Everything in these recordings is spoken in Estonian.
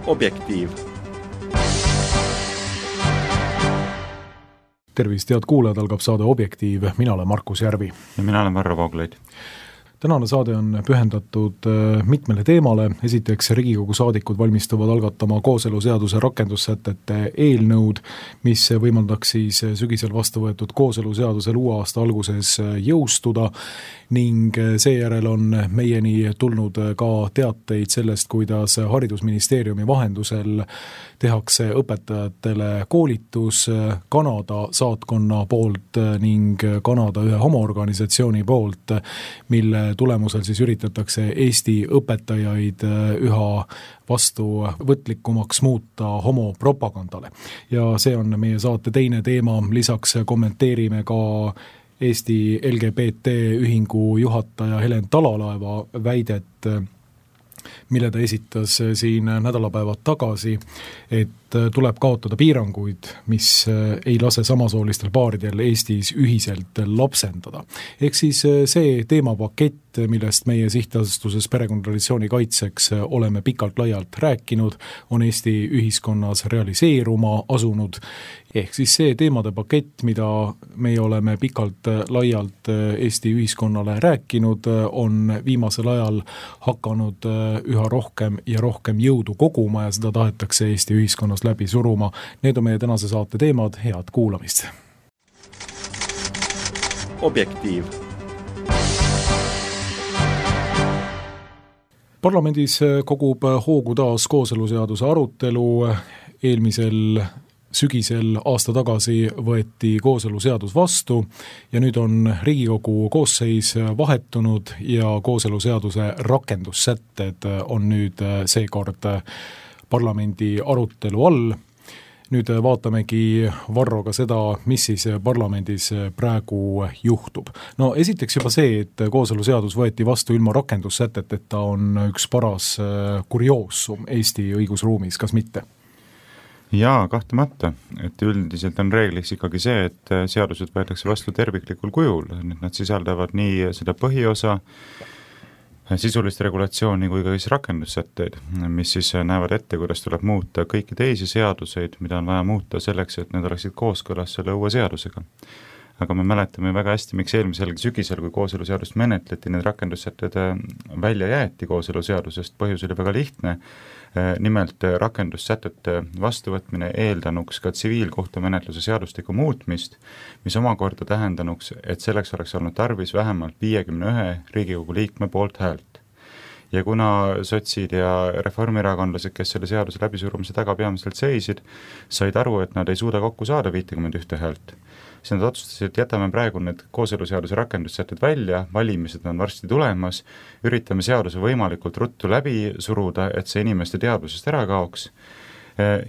Objektiiv. Tervist, head kuulajad, algab saade Objektiiv. Mina olen Markus Järvi. Ja mina olen Varro Vooglaid. Tänane saade on pühendatud mitmele teemale. Esiteks Riigikogu saadikud valmistuvad algatama kooseluseaduse rakendussätete eelnõud, mis võimaldaks siis sügisel vastu võetud kooseluseadusel uue aasta alguses jõustuda, ning seejärel on meieni tulnud ka teateid sellest, kuidas Haridusministeeriumi vahendusel tehakse õpetajatele koolitus Kanada saatkonna poolt ning Kanada ühe homoorganisatsiooni poolt, mille tulemusel siis üritatakse Eesti õpetajaid üha vastuvõtlikumaks muuta homopropagandale. Ja see on meie saate teine teema. Lisaks kommenteerime ka Eesti LGBT ühingu juhataja Helen Talalaeva väidet, mille ta esitas siin nädalapäevad tagasi, et tuleb kaotada piiranguid, mis ei lase samasoolistel paaridel Eestis ühiselt lapsendada. Ehk siis see teemapakett, millest meie sihtasutuses Perekonnatraditsiooni kaitseks oleme pikalt laialt rääkinud, on Eesti ühiskonnas realiseeruma asunud. Ehk siis see teemade pakett, mida meie oleme pikalt laialt Eesti ühiskonnale rääkinud, on viimasel ajal hakanud üha rohkem ja rohkem jõudu koguma ja seda tahetakse Eesti ühiskonnas läbi suruma. Need on meie tänase saate teemad. Head kuulamist. Objektiiv. Parlamendis kogub hoogu taas kooseluseaduse arutelu. Eelmisel sügisel aasta tagasi võeti kooseluseadus vastu ja nüüd on Riigikogu koosseis vahetunud ja kooseluseaduse rakendussätted on nüüd seekord parlamendi arutelu all. Nüüd vaatamegi Varroga seda, mis siis parlamendis praegu juhtub. No esiteks juba see, et kooseluseadus võeti vastu ilma rakendussäteteta, on üks paras kurioosum Eesti õigusruumis, kas mitte? Jaa, kahtlemata, et üldiselt on reegliks ikkagi see, et seadused võetakse vastu terviklikul kujul. Nad sisaldavad nii seda põhiosa, sisulist regulatsiooni kui ka rakendussätteid, mis siis näevad ette, kuidas tuleb muuta kõiki teisi seaduseid, mida on vaja muuta selleks, et need oleksid kooskõlas selle uue seadusega. Aga me mäletame väga hästi, miks eelmisel sügisel, kui kooseluseadust menetleti, need rakendussätted välja jäeti kooseluseadusest. Põhjus oli väga lihtne. Nimelt rakendussätete vastuvõtmine eeldanuks ka tsiviilkohtumenetluse seadustiku muutmist, mis omakorda tähendanuks, et selleks oleks olnud tarvis vähemalt 51 Riigikogu liikme poolt häält. Ja kuna sotsid ja reformierakondlased, kes selle seaduse läbisurumise taga peamiselt seisid, said aru, et nad ei suuda kokku saada 51 häält. Siis nad otsustasid, et jätame praegu need kooseluseaduse rakendussätted välja, valimised on varsti tulemas, üritame seaduse võimalikult ruttu läbi suruda, et see inimeste teadvusest ära kaoks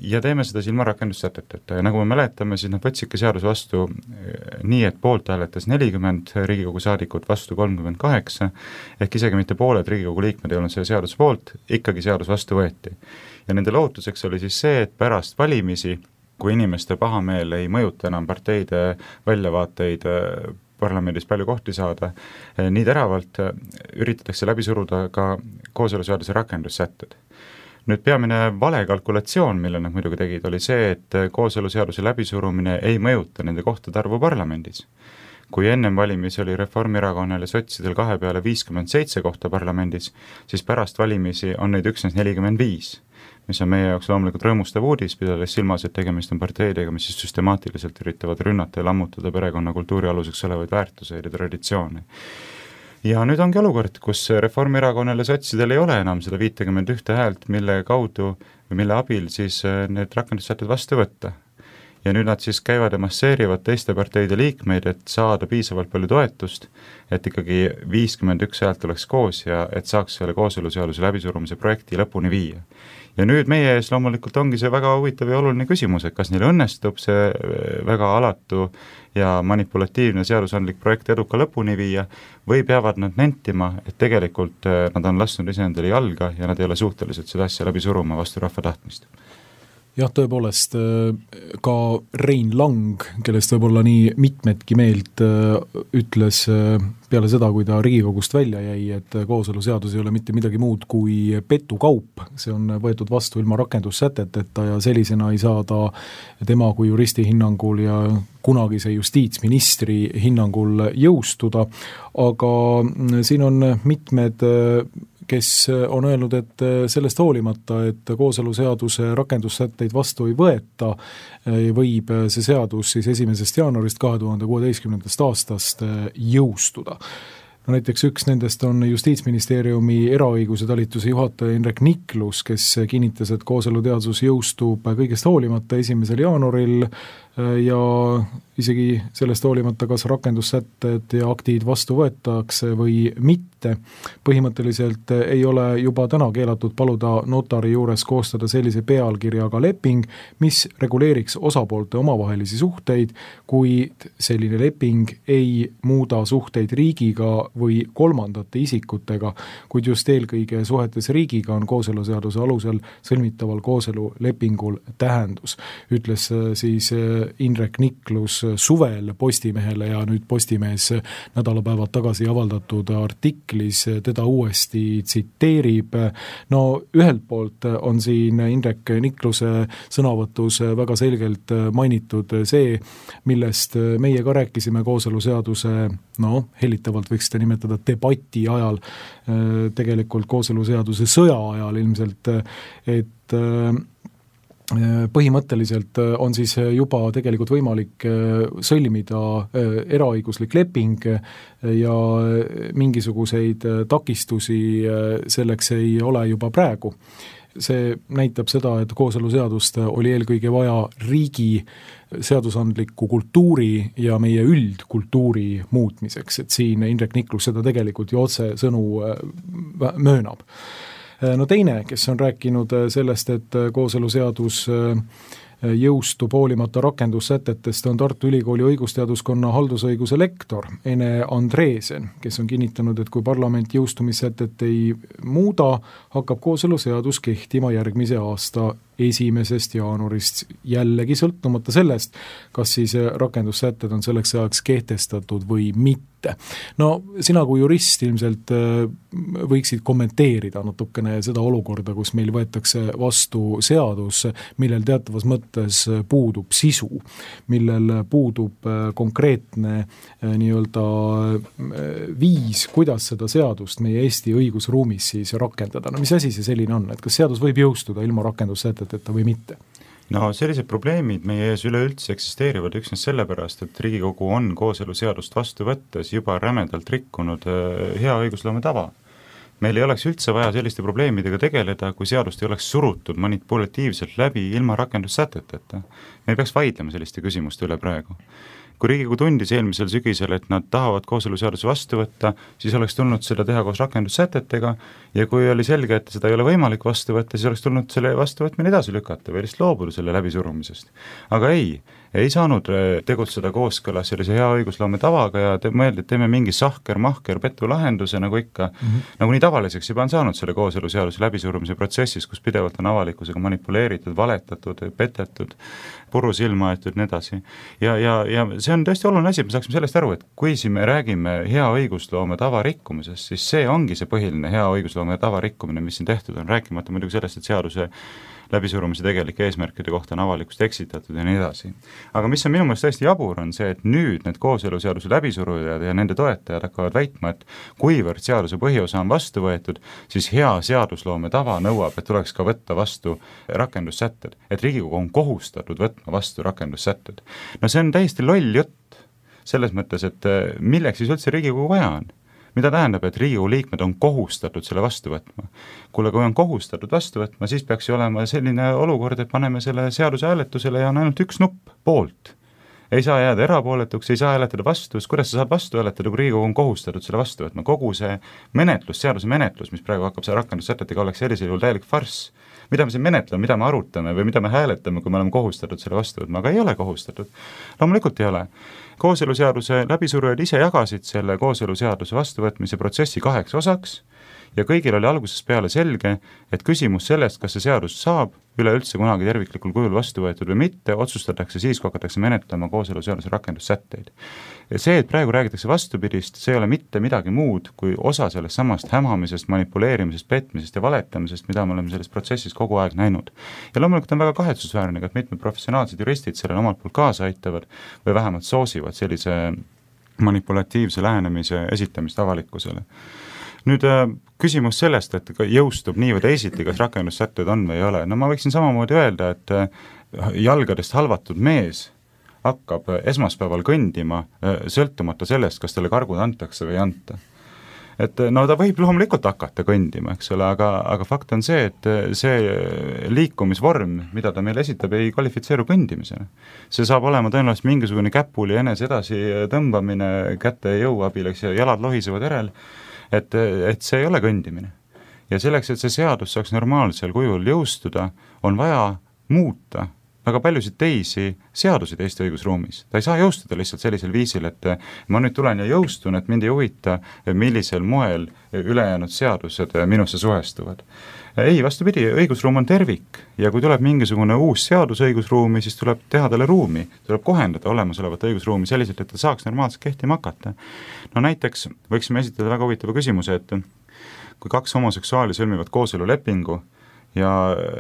ja teeme seda ilma rakendussäteteta. Ja nagu me mäletame, siis nad võtsidki seaduse vastu nii, et poolt hääletas 40 Riigikogu saadikut, vastu 38, ehk isegi mitte pooled Riigikogu liikmed ei olnud selle seaduse poolt, ikkagi seadus vastu võeti. Ja nende lootuseks oli siis see, et pärast valimisi, kui inimeste pahameel ei mõjuta enam parteide väljavaateid parlamendis palju kohti saada, nii teravalt üritatakse läbi suruda ka kooseluseaduse rakendussätted. Nüüd peamine vale kalkulatsioon, mille nad muidugi tegid, oli see, et kooseluseaduse läbisurumine ei mõjuta nende kohtade arvu parlamendis. Kui ennem valimisi oli Reformierakonnal ja sotsidel 2 peale 57 kohta parlamendis, siis pärast valimisi on neid üksnes 45. Mis on meie jaoks loomulikult rõõmustav uudis, pidades silmas, et tegemist on parteidega, mis siis süstemaatiliselt üritavad rünnata ja lammutada perekonna kultuuri aluseks olevaid väärtuseid ja traditsioone. Ja nüüd ongi olukord, kus Reformierakonnal ja sotsidel ei ole enam seda 51 häält, mille kaudu või mille abil siis need rakendussätted vastu võtta. Ja nüüd nad siis käivad ja masseerivad teiste parteide liikmeid, et saada piisavalt palju toetust, et ikkagi 51 häält oleks koos ja et saaks selle kooseluseaduse läbisurumise projekti lõpuni viia. Ja nüüd meie ees loomulikult ongi see väga huvitav ja oluline küsimus, et kas neil õnnestub see väga alatu ja manipulatiivne seadusandlik projekt eduka lõpuni viia või peavad nad nentima, et tegelikult nad on lasknud iseendale jalga ja nad ei ole suhtelised seda asja läbi suruma vastu rahva tahtmist. jah, tõepoolest ka Rein Lang, kellest võib-olla nii mitmedki meelt ütles peale seda, kui ta Riigikogust välja jäi, et kooseluseadus ei ole mitte midagi muud kui petukaup, see on võetud vastu ilma rakendussäteteta ja sellisena ei saa ta tema kui juristi hinnangul ja kunagise justiitsministri hinnangul jõustuda, aga siin on mitmed kes on öelnud, et sellest hoolimata, et kooseluseaduse rakendussätteid vastu ei võeta, võib see seadus siis 1. jaanuarist 2016. aastast jõustuda. No näiteks üks nendest on Justiitsministeeriumi eraõiguse talituse juhataja Indrek Niklus, kes kinnitas, et kooseluseadus jõustub kõigest hoolimata 1. jaanuaril ja isegi sellest hoolimata, kas rakendussätted ja aktid vastu võetakse või mitte. Põhimõtteliselt ei ole juba täna keelatud paluda notari juures koostada sellise pealkirjaga leping, mis reguleeriks osapoolte omavahelisi suhteid, kuid selline leping ei muuda suhteid riigiga või kolmandate isikutega, kuid just eelkõige suhetes riigiga on kooseluseaduse alusel sõlmitaval kooselulepingul tähendus, ütles siis Indrek Niklus suvel Postimehele ja nüüd Postimees nädalapäevad tagasi avaldatud artiklis teda uuesti tsiteerib. No ühelt poolt on siin Indrek Nikluse sõnavõtus väga selgelt mainitud see, millest meie ka rääkisime kooseluseaduse, hellitavalt võiks seda nimetada debati ajal, tegelikult kooseluseaduse sõja ajal ilmselt, et põhimõtteliselt on siis juba tegelikult võimalik sõlmida eraõiguslik leping ja mingisuguseid takistusi selleks ei ole juba praegu. See näitab seda, et kooseluseadust oli eelkõige vaja riigi seadusandliku kultuuri ja meie üldkultuuri muutmiseks, et siin Indrek Niklus seda tegelikult ju otse sõnu möönab. No teine, kes on rääkinud sellest, et kooseluseadus jõustub hoolimata rakendussätetest, on Tartu Ülikooli õigusteaduskonna haldusõiguse lektor Ene Andreesen, kes on kinnitanud, et kui parlament jõustumissätet ei muuda, hakkab kooseluseadus kehtima järgmise aasta 1. jaanuarist, jällegi sõltumata sellest, kas siis rakendussätted on selleks ajaks kehtestatud või mitte. No sina kui jurist ilmselt võiksid kommenteerida natukene seda olukorda, kus meil võetakse vastu seadus, millel teatavas mõttes puudub sisu, millel puudub konkreetne nii-öelda viis, kuidas seda seadust meie Eesti õigusruumis siis rakendada. No mis asi see selline on, et kas seadus võib jõustuda ilma rakendussäteteta või mitte? No sellised probleemid meie ees üleüldse eksisteerivad üksnes sellepärast, et Riigikogu on kooseluseadust vastu võttes juba rämedalt rikkunud hea õigusloome tava. Meil ei oleks üldse vaja selliste probleemidega tegeleda, kui seadust ei oleks surutud manipulatiivselt läbi ilma rakendussäteteta. Me ei peaks vaidlema selliste küsimuste üle praegu. Kui Riigikogu tundis eelmisel sügisel, et nad tahavad kooseluseaduse vastu võtta, siis oleks tulnud seda teha koos rakendussätetega ja kui oli selge, et seda ei ole võimalik vastu võtta, siis oleks tulnud selle vastuvõtmine edasi lükata või lihtsalt loobuda selle läbisurumisest. Aga ei saanud tegutseda kooskõlas sellise hea õigusloome tavaga ja mõeldi, et teeme mingi sahker-mahker petulahenduse, nagu ikka, nagu nii tavaliseks juba on saanud selle kooseluseaduse läbisurumise protsessis, kus pidevalt on avalikkusega manipuleeritud, valetatud, petetud, puru silma aetud nii edasi. Ja see on tõesti oluline asi, et me saaksime sellest aru, et kui siin me räägime hea õigusloome tava rikkumisest, siis see ongi see põhiline hea õigusloome tava rikkumine, mis siin tehtud on, rääkimata muidugi sellest, et seaduse läbisurumise tegelike eesmärkide kohta on avalikkust eksitatud ja nii edasi. Aga mis on minu meelest tõesti jabur, on see, et nüüd need kooseluseaduse läbisurujad ja nende toetajad hakkavad väitma, et kuivõrd seaduse põhiosa on vastu võetud, siis hea seadusloome tava nõuab, et tuleks ka võtta vastu rakendussätted, et Riigikogu on kohustatud võtma vastu rakendussätted. No see on täiesti loll jutt selles mõttes, et milleks siis üldse Riigikogu vaja on? Mida tähendab, et Riigikogu liikmed on kohustatud selle vastu võtma? Kuule, kui on kohustatud vastu võtma, siis peaks ju olema selline olukord, et paneme selle seaduse hääletusele ja on ainult üks nupp, poolt. Ei saa jääda erapooletuks, ei saa hääletada vastu, kuidas sa saad vastu hääletada, kui Riigikogu on kohustatud selle vastu võtma? Kogu see menetlus, seaduse menetlus, mis praegu hakkab see rakendussätetega, oleks sellisel juhul täielik farss. Mida me siin menetleme, mida me arutame või mida me hääletame, kui me oleme kohustatud selle vastu võtma, aga ei ole kohustatud. Loomulikult ei ole. Kooseluseaduse läbisurujad ise jagasid selle kooseluseaduse vastuvõtmise protsessi 2 osaks Ja kõigil oli algusest peale selge, et küsimus sellest, kas see seadus saab üleüldse kunagi terviklikul kujul vastu võetud või mitte, otsustatakse siis, kui hakatakse menetlema kooseluseaduse rakendussätteid. Ja see, et praegu räägitakse vastupidist, see ei ole mitte midagi muud kui osa sellest samast hämamisest, manipuleerimisest, petmisest ja valetamisest, mida me oleme selles protsessis kogu aeg näinud. Ja loomulikult on väga kahetsusväärne, et mitmed professionaalsed juristid sellele omalt poolt kaasa aitavad või vähemalt soosivad sellise manipulatiivse lähenemise esitamist avalikkusele. Nüüd küsimus sellest, et jõustub nii või teisiti, kas rakendussätted on või ei ole. No ma võiksin samamoodi öelda, et jalgadest halvatud mees hakkab esmaspäeval kõndima sõltumata sellest, kas talle kargud antakse või ei anta. Et no ta võib loomulikult hakata kõndima, eks ole, aga fakt on see, et see liikumisvorm, mida ta meile esitab, ei kvalifitseeru kõndimisena. See saab olema tõenäoliselt mingisugune käpuli enese edasi tõmbamine kätte jõu abil, eks, ja jalad lohisevad järel, et see ei ole kõndimine. Ja selleks, et see seadus saaks normaalsel kujul jõustuda, on vaja muuta väga paljusid teisi seadusid Eesti õigusruumis. Ta ei saa jõustuda lihtsalt sellisel viisil, et ma nüüd tulen ja jõustun, et mind ei huvita, millisel moel ülejäänud seadused minusse suhestuvad. Ei, vastupidi, õigusruum on tervik ja kui tuleb mingisugune uus seadus õigusruumi, siis tuleb teha talle ruumi, tuleb kohendada olemasolevat õigusruumi selliselt, et ta saaks normaalselt kehtima hakata. No näiteks võiksime esitada väga huvitava küsimuse, et kui kaks homoseksuaali sõlmivad kooselulepingu ja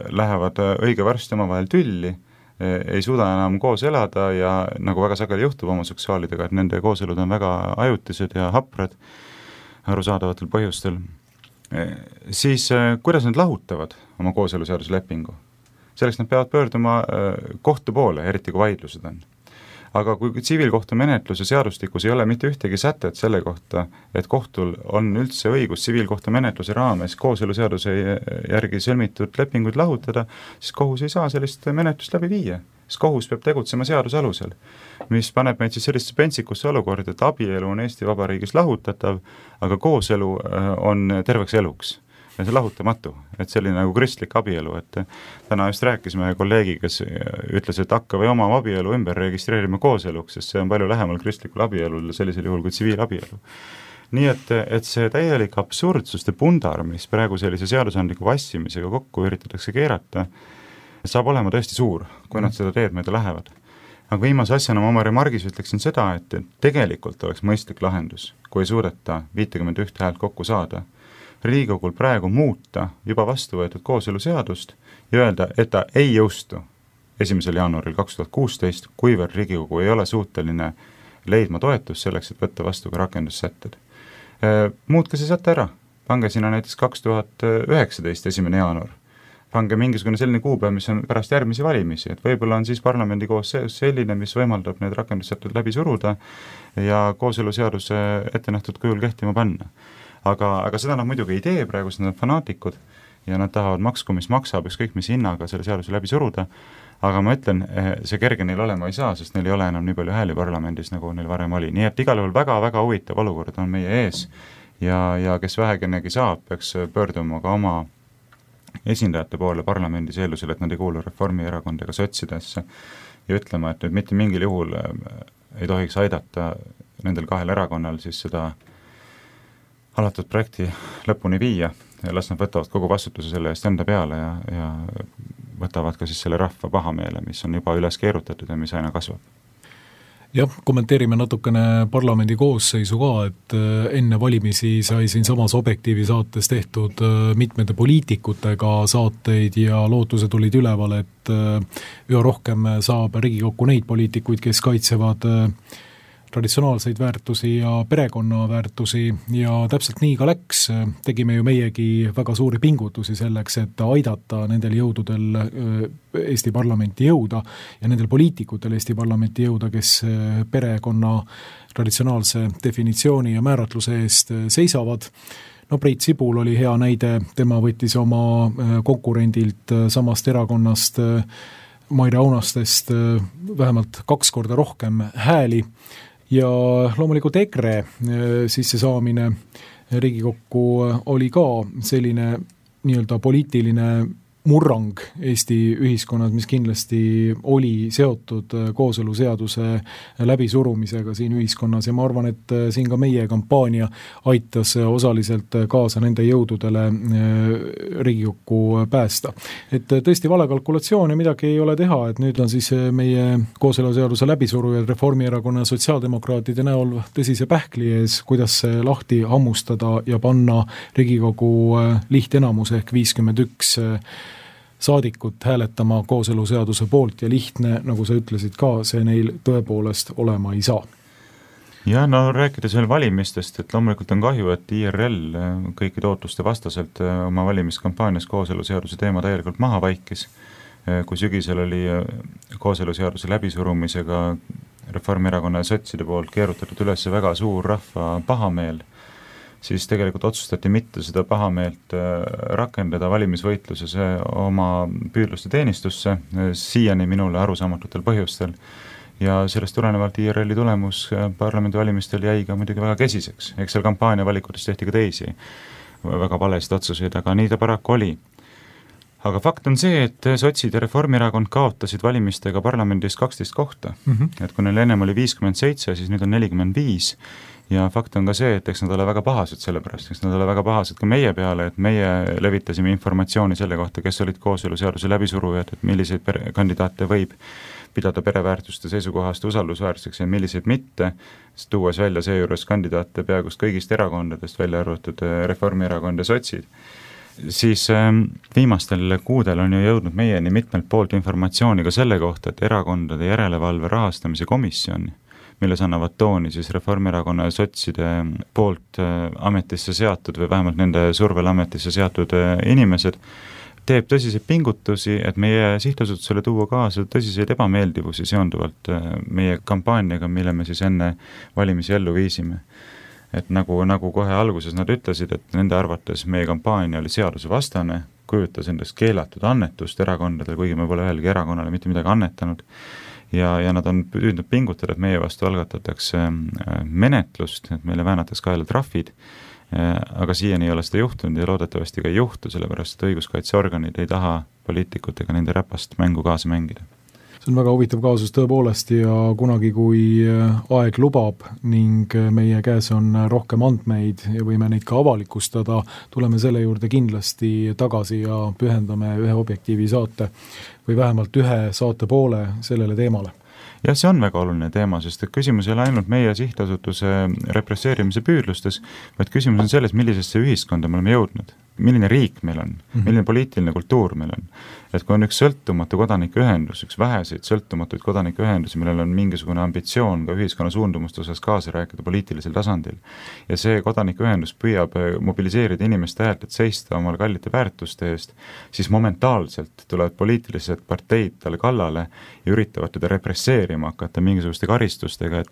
lähevad õige varsti omavahel tülli, ei suuda enam koos elada ja nagu väga sageli juhtub homoseksuaalidega, et nende kooselud on väga ajutised ja haprad arusaadavatel põhjustel, siis kuidas nad lahutavad oma kooseluseaduse lepingu? Selleks nad peavad pöörduma kohtu poole, eriti kui vaidlused on. Aga kui tsiviilkohtumenetluse seadustikus ei ole mitte ühtegi sätet selle kohta, et kohtul on üldse õigus tsiviilkohtumenetluse raames kooseluseaduse järgi sõlmitud lepinguid lahutada, siis kohus ei saa sellist menetlust läbi viia. Siis kohus peab tegutsema seaduse alusel, mis paneb meid siis sellist pentsikusse olukorda, et abielu on Eesti Vabariigis lahutatav, aga kooselu on terveks eluks. Ja see lahutamatu, et selline nagu kristlik abielu, et täna just rääkisime kolleegiga, kes ütles, et hakka või oma abielu ümber registreerima kooseluks, sest see on palju lähemal kristlikul abielul sellisel juhul kui tsiviilabielu. Nii et see täielik absurdsuste pundar, mis praegu sellise seadusandliku vassimisega kokku üritatakse keerata, saab olema tõesti suur, kui nad seda teed mööda lähevad. Aga viimase asjana ma oma remargis ütleksin seda, et tegelikult oleks mõistlik lahendus, kui ei suudeta 51 häält kokku saada, Riigikogul praegu muuta juba vastu võetud kooseluseadust ja öelda, et ta ei jõustu 1. jaanuaril 2016, kuivõrd Riigikogu ei ole suuteline leidma toetust selleks, et võtta vastu ka rakendussätted. Muutke see säte ära, pange sinna näiteks 2019 1. jaanuar, pange mingisugune selline kuupäev, mis on pärast järgmisi valimisi, et võib-olla on siis parlamendi koosseis selline, mis võimaldab need rakendussätted läbi suruda ja kooseluseaduse ette nähtud kujul kehtima panna. Aga seda nad muidugi ei tee, praegu nad on fanaatikud ja nad tahavad maksku, mis maksab, ükskõik mis hinnaga selle seaduse läbi suruda, aga ma ütlen, see kerge neil olema ei saa, sest neil ei ole enam nii palju hääli parlamendis, nagu neil varem oli. Nii et igal juhul väga-väga huvitav olukord on meie ees ja kes vähegenegi saab, peaks pöörduma ka oma esindajate poole parlamendis eeldusel, et nad ei kuulu Reformierakonda ega sotsidesse ja ütlema, et nüüd mitte mingil juhul ei tohiks aidata nendel kahel erakonnal siis seda alatud projekti lõpuni viia ja las nad võtavad kogu vastutuse selle eest enda peale ja võtavad ka siis selle rahva pahameele, mis on juba üles keerutatud ja mis aina kasvab. Jah, kommenteerime natukene parlamendi koosseisu ka, et enne valimisi sai siin samas Objektiivi saates tehtud mitmete poliitikutega saateid ja lootused olid üleval, et üha rohkem saab Riigikokku neid poliitikuid, kes kaitsevad traditsionaalseid väärtusi ja perekonnaväärtusi ja täpselt nii ka läks. Tegime ju meiegi väga suuri pingutusi selleks, et aidata nendel jõududel Eesti parlamenti jõuda ja nendel poliitikutel Eesti parlamenti jõuda, kes perekonna traditsionaalse definitsiooni ja määratluse eest seisavad. No Priit Sibul oli hea näide, tema võttis oma konkurendilt samast erakonnast Maire Aunastest vähemalt 2 korda rohkem hääli ja loomulikult EKRE sisse saamine Riigikokku oli ka selline nii-öelda poliitiline murrang Eesti ühiskonnas, mis kindlasti oli seotud kooseluseaduse läbisurumisega siin ühiskonnas ja ma arvan, et siin ka meie kampaania aitas osaliselt kaasa nende jõududele Riigikokku päästa. Et tõesti vale kalkulatsioon ja midagi ei ole teha, et nüüd on siis meie kooseluseaduse läbisurujad Reformierakonna ja sotsiaaldemokraatide näol tõsise pähkli ees, kuidas see lahti hammustada ja panna Riigikogu lihtenamus ehk 51 saadikut hääletama kooseluseaduse poolt ja lihtne, nagu sa ütlesid ka, see neil tõepoolest olema ei saa. Ja no rääkides veel valimistest, et loomulikult on kahju, et IRL kõikide ootuste vastaselt oma valimiskampaanias kooseluseaduse teema täielikult maha vaikis, kui sügisel oli kooseluseaduse läbisurumisega Reformierakonna ja sotside poolt keerutatud üles väga suur rahva pahameel, siis tegelikult otsustati mitte seda pahameelt rakendada valimisvõitluses oma püüdluste teenistusse, siiani minule arusaamatutel põhjustel. Ja sellest tulenevalt IRL-i tulemus parlamendivalimistel jäi ka muidugi väga kesiseks. Eks seal kampaania valikutes tehti ka teisi väga valesid otsuseid, aga nii ta paraku oli. Aga fakt on see, et sotsid ja Reformierakond kaotasid valimistega parlamendis 12 kohta. Et kui neil ennem oli 57, siis nüüd on 45. Ja fakt on ka see, et eks nad ole väga pahased selle pärast, eks nad ole väga pahased ka meie peale, et meie levitasime informatsiooni selle kohta, kes olid kooseluseaduse läbisurujad, et milliseid kandidaate võib pidada pereväärtuste seisukohast usaldusväärseks ja milliseid mitte, tuues välja seejuures kandidaate peaaegu kõigist erakondadest, välja arvatud Reformierakond ja sotsid. Siis viimastel kuudel on ju jõudnud meieni mitmelt poolt informatsiooni ka selle kohta, et erakondade järelevalve rahastamise komisjon, milles annavad tooni siis Reformierakonna ja sotside poolt ametisse seatud või vähemalt nende survel ametisse seatud inimesed, teeb tõsiseid pingutusi, et meie sihtasutusele tuua kaasa tõsiseid ebameeldivusi seonduvalt meie kampaaniaga, mille me siis enne valimisi ellu viisime. Et nagu kohe alguses nad ütlesid, et nende arvates meie kampaania oli seadusevastane, kujutas endast keelatud annetust erakondadel, kuigi me pole ühelgi erakonnale mitte midagi annetanud. Ja nad on püüdnud pingutada, et meie vastu algatatakse menetlust, et meile väänatakse kaela trahvid, aga siiani ei ole seda juhtunud ja loodetavasti ka ei juhtu, sellepärast et õiguskaitseorganid ei taha poliitikutega nende räpast mängu kaasa mängida. See on väga huvitav kaasus tõepoolest ja kunagi, kui aeg lubab ning meie käes on rohkem andmeid ja võime neid ka avalikustada, tuleme selle juurde kindlasti tagasi ja pühendame ühe objektiivi saate või vähemalt ühe saate poole sellele teemale. Ja see on väga oluline teema, sest et küsimus ei ole ainult meie sihtasutuse represseerimise püüdlustes, vaid küsimus on selles, millisesse ühiskonda me oleme jõudnud, milline riik meil on, milline poliitiline kultuur meil on. Et kui on üks sõltumatu kodanikuühendus, üks väheseid sõltumatuid kodanikuühendusi, millel on mingisugune ambitsioon ka ühiskonna suundumuste osas kaasa rääkida poliitilisel tasandil, ja see kodanikuühendus püüab mobiliseerida inimeste häält, et seista omal kallite väärtuste eest, siis momentaalselt tulevad poliitilised parteid talle kallale ja üritavad teda represseerima hakata mingisuguste karistustega,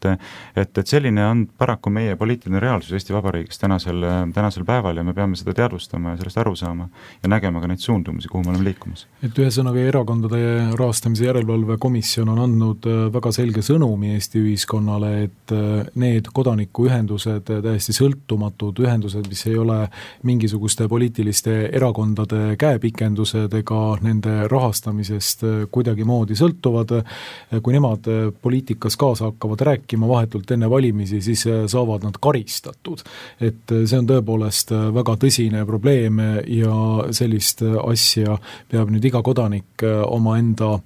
et selline on paraku meie poliitiline reaalsus Eesti Vabariigis tänasel päeval ja me peame seda teadvustama ja sellest aru saama ja nägema ka neid suundumusi, kuhu me oleme liikumas. Et ühesõnaga erakondade rahastamise järelevalve komisjon on andnud väga selge sõnumi Eesti ühiskonnale, et need kodanikuühendused, täiesti sõltumatud ühendused, mis ei ole mingisuguste poliitiliste erakondade käepikendused ega nende rahastamisest kuidagi moodi sõltuvad, kui nemad poliitikas kaasa hakkavad rääkima vahetult enne valimisi, siis saavad nad karistatud. Et see on tõepoolest väga tõsine probleem ja sellist asja peab nüüd iga kodanik omaenda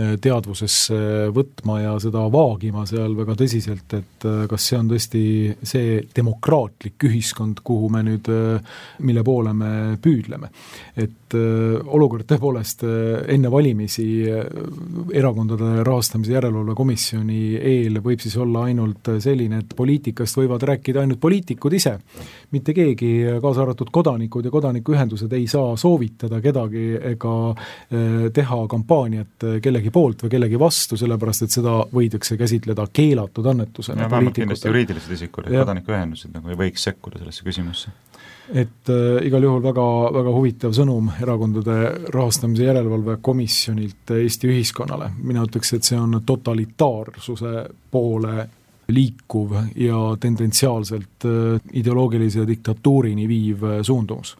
teadvusesse võtma ja seda vaagima seal väga tõsiselt, et kas see on tõesti see demokraatlik ühiskond, kuhu me nüüd, mille poole me püüdleme. Et olukord tõepoolest enne valimisi erakondade rahastamise järelevalve komisjoni eel võib siis olla ainult selline, et poliitikast võivad rääkida ainult poliitikud ise. Mitte keegi, kaasa arvatud kodanikud ja kodanikuühendused ei saa soovitada kedagi ega teha kampaaniat kellegi poolt või kellegi vastu, sellepärast et seda võidakse käsitleda keelatud annetusena. Ja vähemalt kindlasti juriidilised isikud, et kodanikuühendused nagu ei võiks sekkuda sellesse küsimusse. Et igal juhul väga, väga huvitav sõnum erakondade rahastamise järelevalve komisjonilt Eesti ühiskonnale. Mina ütleks, et see on totalitaarsuse poole liikuv ja tendentsiaalselt ideoloogilise diktatuurini viiv suundumus.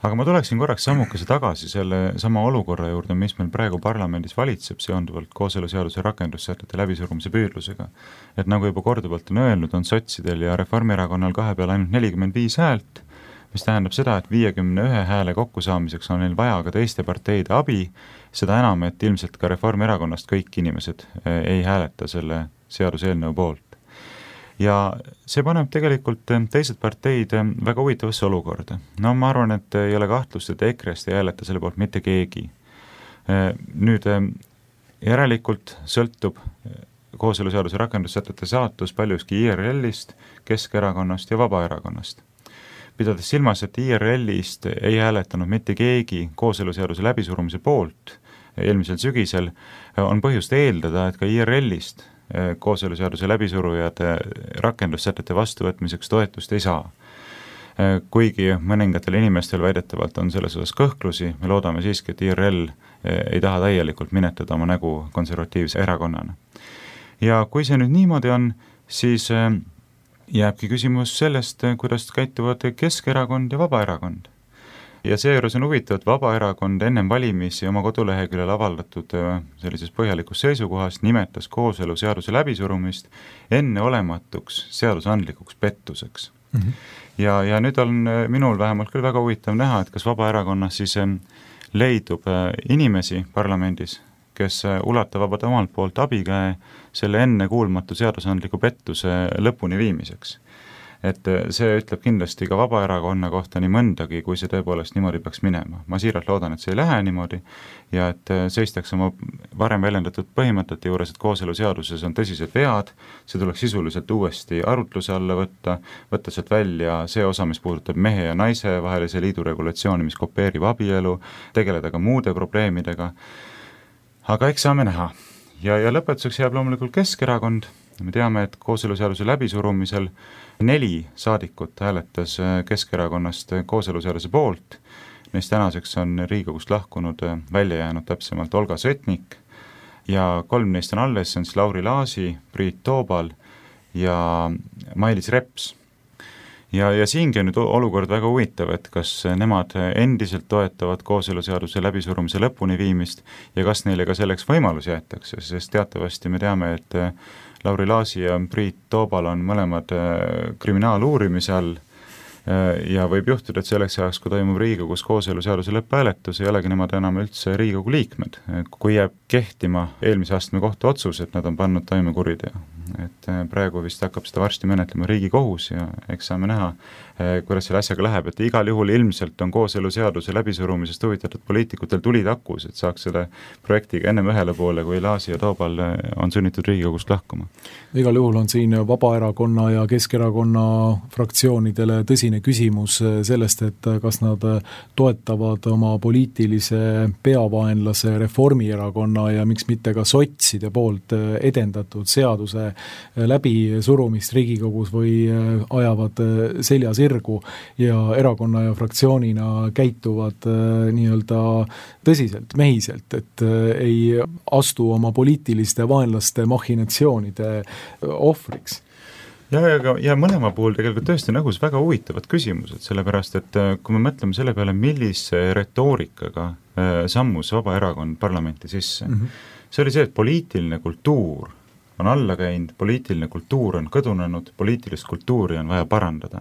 Aga ma tuleksin korraks sammukese tagasi selle sama olukorra juurde, mis meil praegu parlamendis valitseb seonduvalt kooseluseaduse rakendussätete läbisurumise püüdlusega. Et nagu juba korduvalt on öelnud, on sotsidel ja Reformierakonnal kahe peal ainult 45 häält, mis tähendab seda, et 51 hääle kokkusaamiseks on neil vaja ka teiste parteide abi, seda enam, et ilmselt ka Reformierakonnast kõik inimesed ei hääleta selle seaduseelnõu poolt. Ja see paneb tegelikult teised parteid väga huvitavasse olukorda. No ma arvan, et ei ole kahtlust, et EKRE-st ei hääleta selle poolt mitte keegi. Nüüd järelikult sõltub kooseluseaduse rakendussätete saatus paljuski IRL-ist, Keskerakonnast ja Vabaerakonnast. Pidades silmas, et IRL-ist ei hääletanud mitte keegi kooseluseaduse läbisurumise poolt eelmisel sügisel, on põhjust eeldada, et ka IRL-ist kooseluseaduse läbisurujad rakendussätete vastuvõtmiseks toetust ei saa. Kuigi mõningatel inimestel väidetavalt on selles osas kõhklusi, me loodame siiski, et IRL ei taha täielikult minetada oma nägu konservatiivse erakonnana. Ja kui see nüüd niimoodi on, siis jääbki küsimus sellest, kuidas käituvad Keskerakond ja Vabaerakond. Ja seejuures on huvitav, et Vabaerakond ennem valimisi oma koduleheküljel avaldatud sellises põhjalikus seisukohas nimetas kooseluseaduse läbisurumist enneolematuks seadusandlikuks pettuseks. Ja nüüd on minul vähemalt küll väga huvitav näha, et kas Vabaerakonnas siis leidub inimesi parlamendis, kes ulatavad omalt poolt abikäe selle ennekuulmatu seadusandliku pettuse lõpuni viimiseks. Et see ütleb kindlasti ka Vabaerakonna kohta nii mõndagi, kui see tõepoolest niimoodi peaks minema. Ma siiralt loodan, et see ei lähe niimoodi ja et seistaks oma varem väljendatud põhimõtete juures, et kooseluseaduses on tõsised vead, see tuleks sisuliselt uuesti arutluse alla võtta sealt välja see osa, mis puudutab mehe ja naise vahelise liidu regulatsiooni, mis kopeerib abielu, tegeleda ka muude probleemidega. Aga eks saame näha. Ja lõpetuseks jääb loomulikult Keskerakond. Me teame, et kooseluseaduse läbisurumisel 4 saadikut hääletas Keskerakonnast kooseluseaduse poolt. Neist tänaseks on Riigikogust lahkunud välja jäänud täpsemalt Olga Sõtnik ja 3 neist on alles, see on siis Lauri Laasi, Priit Toobal ja Mailis Reps. Ja siingi on nüüd olukord väga huvitav, et kas nemad endiselt toetavad kooseluseaduse läbisurumise lõpuni viimist ja kas neile ka selleks võimalus jäetakse, sest teatavasti me teame, et Lauri Laasi ja Priit Toobal on mõlemad kriminaaluurimise all ja võib juhtuda, et selleks ajaks, kui toimub Riigikogus kooseluseaduse lõpphääletus, ei olegi nemad enam üldse Riigikogu liikmed, kui jääb kehtima eelmise astme kohtu otsus, et nad on pannud toime kuriteo. Et praegu vist hakkab seda varsti menetlema Riigikohus ja eks saame näha, kuidas selle asjaga läheb, et igal juhul ilmselt on kooseluseaduse läbisurumisest huvitatud poliitikutel tulid akus, et saaks selle projektiga ennem ühele poole, kui Laasi ja Toobal on sunnitud Riigikogust lahkuma. Igal juhul on siin Vabaerakonna ja Keskerakonna fraktsioonidele tõsine küsimus sellest, et kas nad toetavad oma poliitilise peavaenlase Reformierakonna ja miks mitte ka sotside poolt edendatud seaduse läbisurumist Riigikogus või ajavad selja sirgu ja erakonna ja fraktsioonina käituvad nii-öelda tõsiselt, mehiselt, et ei astu oma poliitiliste vaenlaste machinatsioonide ohvriks. Ja mõlema puhul tegelikult tõesti nägus väga huvitavad küsimused, sellepärast, et kui me mõtleme selle peale, millise retoorikaga sammus Vabaerakond parlamenti sisse, see oli see, et poliitiline kultuur on alla käinud, poliitiline kultuur on kõdunenud, poliitilist kultuuri on vaja parandada.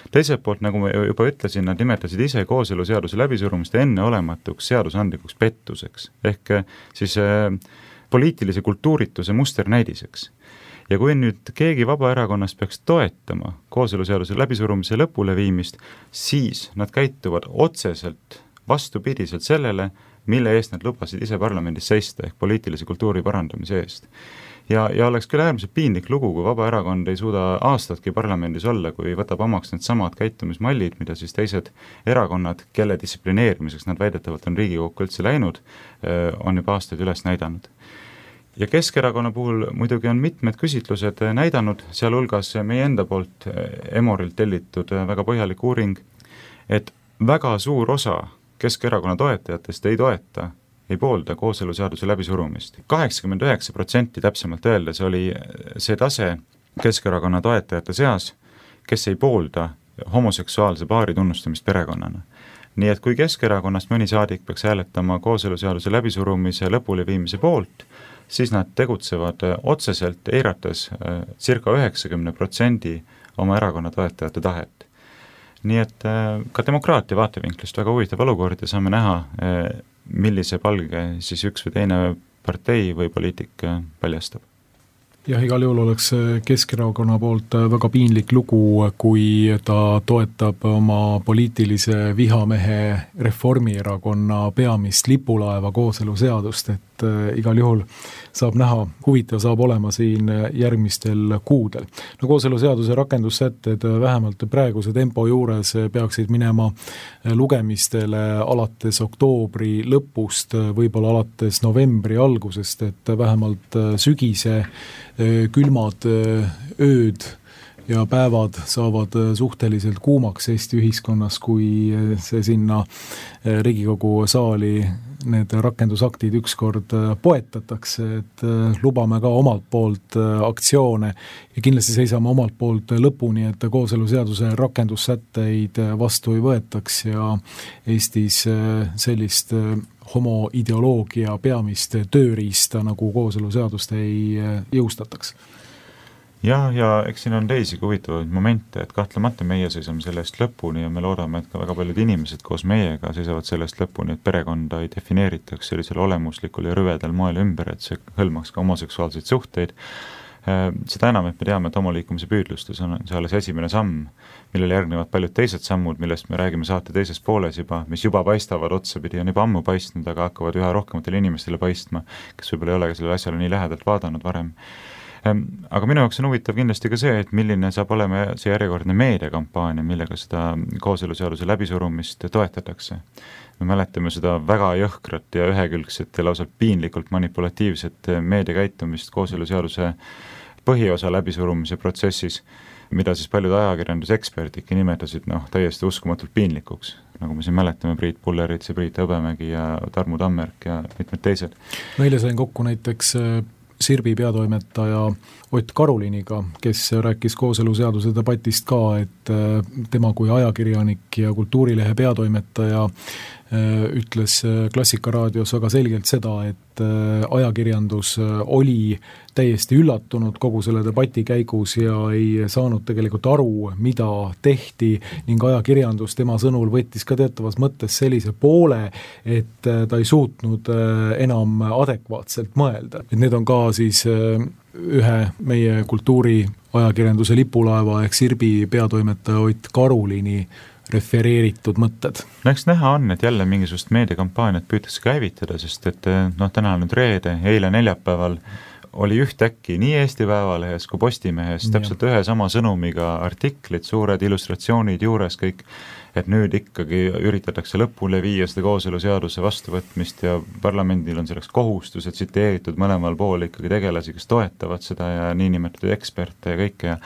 Teiselt poolt, nagu ma juba ütlesin, nad nimetasid ise kooseluseaduse läbisurumist enneolematuks seadusandlikuks pettuseks, ehk siis poliitilise kultuurituse musternäidiseks. Ja kui nüüd keegi Vabaerakonnast peaks toetama kooseluseaduse läbisurumise lõpule viimist, siis nad käituvad otseselt vastupidiselt sellele, mille eest nad lubasid ise parlamendis seista, ehk poliitilise kultuuri parandamise eest. Ja oleks küll äärmiselt piinlik lugu, kui Vabaerakond ei suuda aastatki parlamendis olla, kui võtab omaks need samad käitumismallid, mida siis teised erakonnad, kelle distsiplineerimiseks nad väidetavalt on Riigikokku üldse läinud, on juba aastaid üles näidanud. Ja Keskerakonna puhul muidugi on mitmed küsitlused näidanud, sealhulgas meie enda poolt Emorilt tellitud väga põhjalik uuring, et väga suur osa Keskerakonna toetajatest ei poolda kooseluseaduse läbisurumist. 89% täpsemalt öeldes oli see tase Keskerakonna toetajate seas, kes ei poolda homoseksuaalse paari tunnustamist perekonnana. nii et kui Keskerakonnast mõni saadik peaks hääletama kooseluseaduse läbisurumise lõpuleviimise poolt, siis nad tegutsevad otseselt eirates circa 90% oma erakonna toetajate tahet. Nii et ka demokraatia vaatevinklist väga huvitav olukord ja saame näha, millise palge siis üks või teine partei või poliitik paljastab. Jah, igal juhul oleks Keskerakonna poolt väga piinlik lugu, kui ta toetab oma poliitilise vihamehe Reformierakonna peamist lipulaeva kooseluseadust, et igal juhul saab näha, huvitav saab olema siin järgmistel kuudel. No kooseluseaduse rakendussätted vähemalt praeguse tempo juures peaksid minema lugemistele alates oktoobri lõpust, võib-olla alates novembri algusest, et vähemalt sügise külmad ööd ja päevad saavad suhteliselt kuumaks Eesti ühiskonnas, kui see sinna Riigikogu saali need rakendusaktid ükskord poetatakse, et lubame ka omalt poolt aktsioone ja kindlasti seisame omalt poolt lõpuni, et kooseluseaduse rakendussätteid vastu ei võetaks ja Eestis sellist homoideoloogia peamist tööriista nagu kooseluseadust ei jõustataks. Ja eks siin on teisigi huvitavaid momente, et kahtlemata meie seisame sellest lõpuni ja me loodame, et ka väga paljud inimesed koos meiega seisavad sellest lõpuni, et perekonda ei defineeritaks sellisel olemuslikul ja rüvedal moel ümber, et see hõlmaks ka homoseksuaalseid suhteid. Seda enam, et me teame, et homoliikumise püüdlustes on see alles esimene samm, millele järgnevad paljud teised sammud, millest me räägime saate teises pooles juba, mis juba paistavad otsapidi, on juba ammu paistnud, aga hakkavad üha rohkematele inimestele paistma, kes võib-olla ei ole sellele asjale nii lähedalt vaadanud varem. Aga minu jaoks on huvitav kindlasti ka see, et milline saab olema see järjekordne meediakampaania, millega seda kooseluseaduse läbisurumist toetatakse. Me mäletame seda väga jõhkrat ja ühekülgset ja lausa piinlikult manipulatiivset meediakäitumist kooseluseaduse põhiosa läbisurumise protsessis, mida siis paljud ajakirjanduseksperdidki nimetasid täiesti uskumatult piinlikuks. Nagu me siin mäletame Priit Pullerits ja Priit Hõbemägi ja Tarmu Tammerk ja mitmed teised. Meile sain kokku näiteks Sirbi peatoimetaja Ott Karuliniga, kes rääkis kooseluseaduse debatist ka, et tema kui ajakirjanik ja kultuurilehe peatoimetaja ütles Klassikaraadios väga selgelt seda, et ajakirjandus oli täiesti üllatunud kogu selle debati käigus ja ei saanud tegelikult aru, mida tehti ning ajakirjandus tema sõnul võttis ka teatavas mõttes sellise poole, et ta ei suutnud enam adekvaatselt mõelda. Et need on ka siis ühe meie kultuuri ajakirjanduse lipulaeva ehk Sirbi peatoimetaja Ott Karulini refereeritud mõtted. Eks näha on, et jälle mingisugust meediakampaaniat püütakse käivitada, sest et täna nüüd reede, eile neljapäeval oli ühtäkki nii Eesti Päevalehes kui Postimehes täpselt ühe sama sõnumiga artiklid, suured illustratsioonid juures kõik, et nüüd ikkagi üritatakse lõpule viia seda kooseluseaduse vastuvõtmist ja parlamendil on selleks kohustus, et tsiteeritud mõlemal pool ikkagi tegelasi, kes toetavad seda ja niinimetatud eksperte ja kõike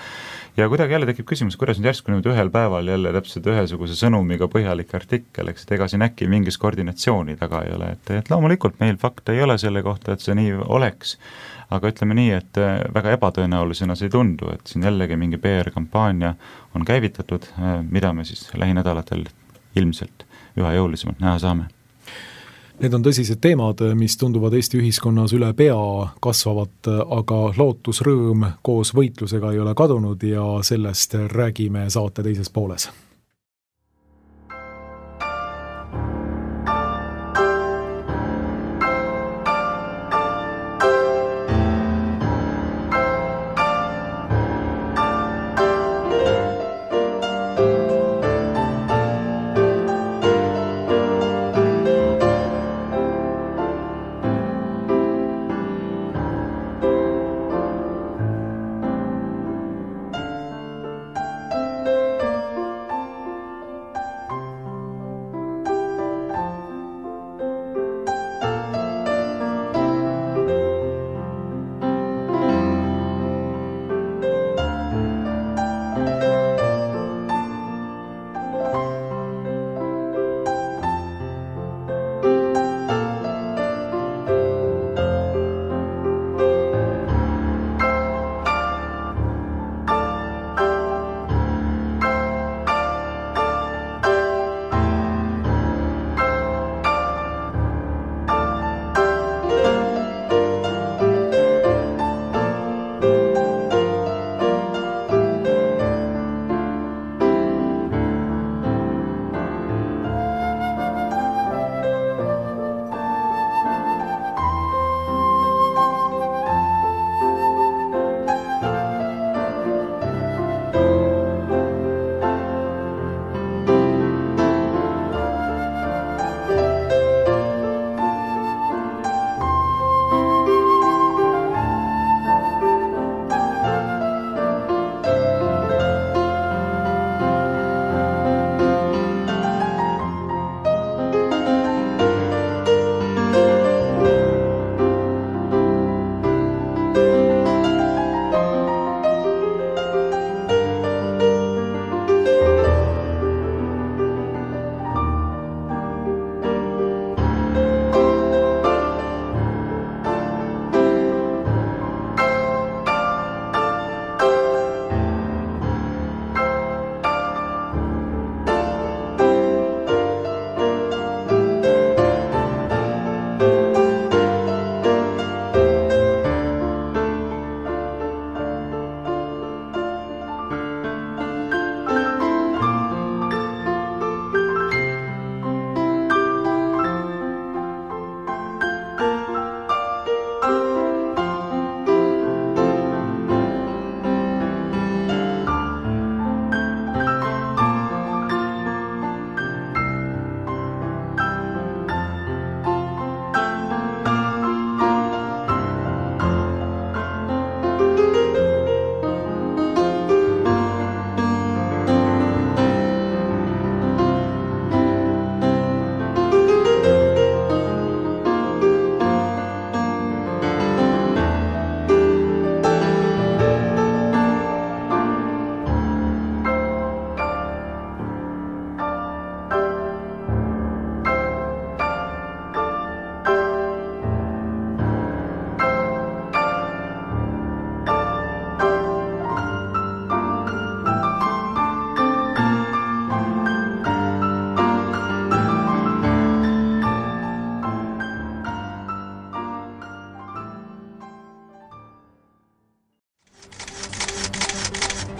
ja kuidagi jälle tekib küsimus, kuidas nüüd järsku nüüd ühel päeval jälle täpselt ühesuguse sõnumiga põhjalik artikkel, eks, et ega siin äkki mingis koordinatsiooni taga ei ole, et loomulikult meil fakte ei ole selle kohta, et see nii oleks, aga ütleme nii, et väga ebatõenäolisena see ei tundu, et siin jällegi mingi PR-kampaania on käivitatud, mida me siis lähinädalatel ilmselt üha jõulisemalt näha saame. Need on tõsised teemad, mis tunduvad Eesti ühiskonnas üle pea kasvavat, aga lootusrõõm koos võitlusega ei ole kadunud ja sellest räägime saate teises pooles.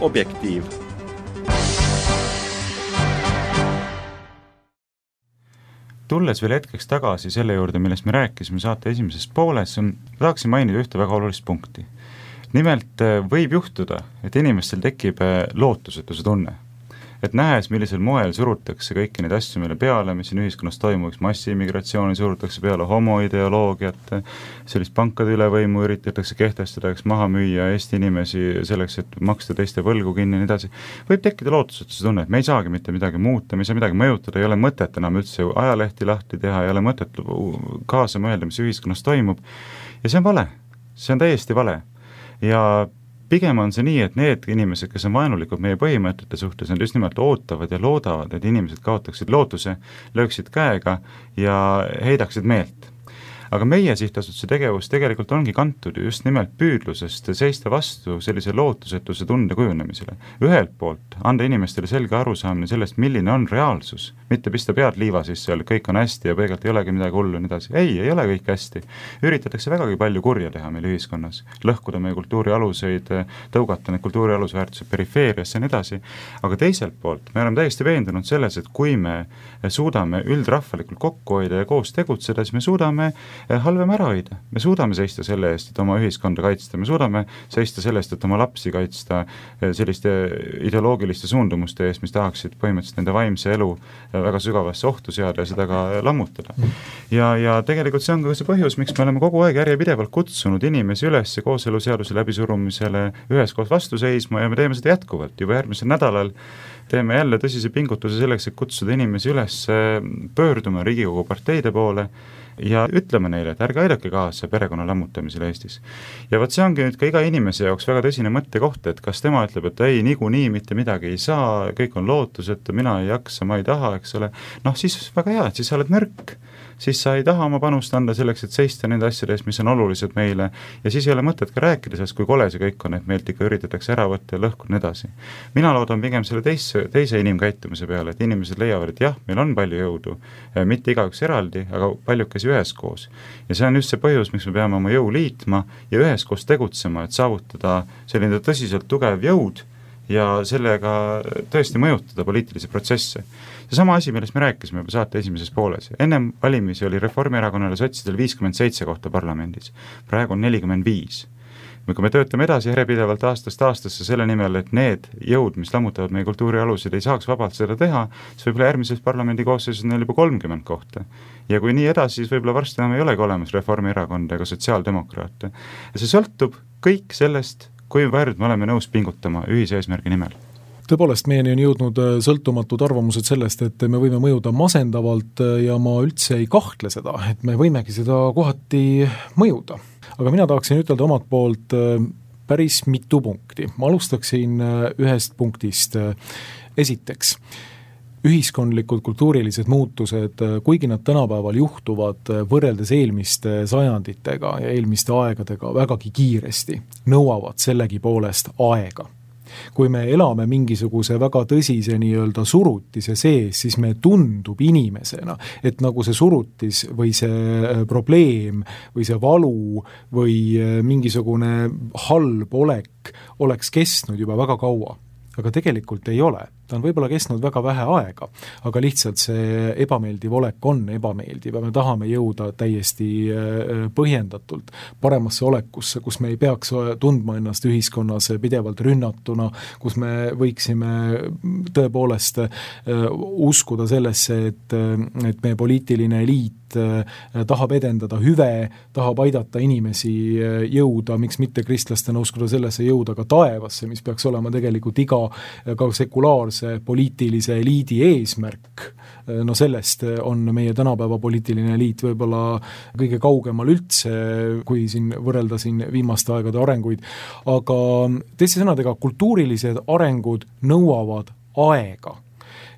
Objektiiv. Tulles veel hetkeks tagasi selle juurde, millest me rääkisime saate esimeses pooles, tahaksin mainida ühte väga olulist punkti. Nimelt võib juhtuda, et inimestel tekib lootusetuse tunne. Et nähes, millisel moel surutakse kõiki neid asju meile peale, mis siin ühiskonnas toimuks, massiimmigratsiooni surutakse peale, homoideoloogiat, sellist pankade ülevõimu üritatakse kehtestada, maha müüa Eesti inimesi selleks, et maksta teiste võlgu kinni ja nii edasi. Võib tekkida lootusetuse tunne, et me ei saagi mitte midagi muuta, me ei saa midagi mõjutada, ei ole mõtet enam üldse ajalehti lahti teha, ei ole mõtet kaasa mõelda, mis ühiskonnas toimub. Ja see on vale, see on täiesti vale. Ja pigem on see nii, et need inimesed, kes on vaenulikud meie põhimõtete suhtes, nad just nimelt ootavad ja loodavad, et inimesed kaotaksid lootuse, lööksid käega ja heidaksid meelt. Aga meie sihtasutuse tegevus tegelikult ongi kantud just nimelt püüdlusest seista vastu sellise lootusetuse tunde kujunemisele. Ühelt poolt anda inimestele selge arusaamine sellest, milline on reaalsus, mitte pista pead liiva sisse, kõik on hästi ja peegelt ei olegi midagi hullu ja nii edasi. Ei ole kõik hästi. Üritatakse vägagi palju kurja teha meil ühiskonnas, lõhkuda meie kultuuri aluseid, tõugata need kultuuri alusväärtused perifeeriasse ja nii edasi. Aga teiselt poolt me oleme täiesti veendunud selles, et kui me suudame üldrahvalikult kokku hoida ja koos tegutseda, siis me suudame halvem ära hoida. Me suudame seista selle eest, et oma ühiskonda kaitsta, me suudame seista selle eest, et oma lapsi kaitsta selliste ideoloogiliste suundumuste eest, mis tahaksid põhimõtteliselt nende vaimse elu väga sügavasse ohtu seada ja seda ka lammutada. Ja tegelikult see on ka see põhjus, miks me oleme kogu aeg järjepidevalt kutsunud inimesi üles kooseluseaduse läbisurumisele üheskoos vastu seisma ja me teeme seda jätkuvalt. Juba järgmisel nädalal teeme jälle tõsise pingutuse selleks, et kutsuda inimesi üles pöörduma Riigikogu parteide poole ja ütleme neile, et ärge aidake kaasa perekonna lammutamisele Eestis. Ja võt see ongi nüüd ka iga inimese jaoks väga tõsine mõttekoht, et kas tema ütleb, et ei, niikuinii mitte midagi ei saa, kõik on lootusetu, mina ei jaksa, ma ei taha, eks ole. Siis väga hea, et siis sa oled nõrk. Siis sa ei taha oma panust anda selleks, et seista nende asjades, mis on olulised meile ja siis ei ole mõtet ka rääkida sellest, kui kole see kõik on, et meilt ikka üritatakse ära võtta ja lõhkuda edasi. Mina loodan pigem selle teise inimkäitumise peale, et inimesed leiavad, et jah, meil on palju jõudu, mitte igaüks eraldi, aga paljukesi üheskoos. Ja see on just see põhjus, miks me peame oma jõu liitma ja üheskoos tegutsema, et saavutada selline tõsiselt tugev jõud ja sellega tõesti mõjutada poliitilisi protsesse. See sama asi, millest me rääkisime juba saate esimeses pooles. Ennem valimisi oli Reformierakonnale sotsidel 57 kohta parlamendis. Praegu on 45. Kui me töötame edasi järjepidevalt aastast aastasse selle nimel, et need jõud, mis lammutavad meie kultuuri alusid, ei saaks vabalt seda teha, siis võib-olla järgmises parlamendi koosseisus on neil juba 30 kohta. Ja kui nii edasi, siis võib-olla varsti enam ei olegi olemas Reformierakonda ega sotsiaaldemokraate. Ja see sõltub kõik sellest, kuivõrd me oleme nõus pingutama ühise eesmärgi nimel. Tõepoolest, meieni on jõudnud sõltumatud arvamused sellest, et me võime mõjuda masendavalt ja ma üldse ei kahtle seda, et me võimegi seda kohati mõjuda. Aga mina tahaksin ütelda omalt poolt päris mitu punkti. Ma alustaksin ühest punktist. Esiteks, ühiskondlikud kultuurilised muutused, kuigi nad tänapäeval juhtuvad võrreldes eelmiste sajanditega ja eelmiste aegadega vägagi kiiresti, nõuavad sellegi poolest aega. Kui me elame mingisuguse väga tõsise nii-öelda surutise sees, siis me tundub inimesena, et nagu see surutis või see probleem või see valu või mingisugune halb olek oleks kestnud juba väga kaua. Aga tegelikult ei ole. Ta on võib-olla kestnud väga vähe aega, aga lihtsalt see ebameeldiv olek on ebameeldiv ja me tahame jõuda täiesti põhjendatult paremasse olekusse, kus me ei peaks tundma ennast ühiskonnas pidevalt rünnatuna, kus me võiksime tõepoolest uskuda sellesse, et meie poliitiline eliit tahab edendada hüve, tahab aidata inimesi jõuda, miks mitte kristlastena uskuda sellesse jõuda ka taevasse, mis peaks olema tegelikult iga ka sekulaarse poliitilise eliidi eesmärk. Sellest on meie tänapäeva poliitiline eliit võib-olla kõige kaugemal üldse, kui siin võrrelda siin viimaste aegade arenguid. Aga teiste sõnadega, kultuurilised arengud nõuavad aega.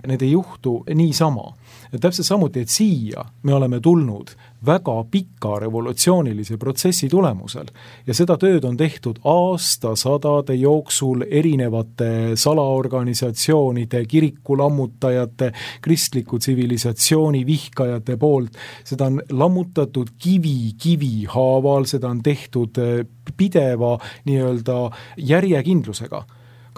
Need ei juhtu niisama. Täpselt samuti, et siia me oleme tulnud väga pika revolutsioonilise protsessi tulemusel ja seda tööd on tehtud aastasadade jooksul erinevate salaorganisatsioonide, kirikulammutajate, kristliku tsivilisatsiooni vihkajate poolt. Seda on lammutatud kivi haaval, seda on tehtud pideva nii-öelda järjekindlusega.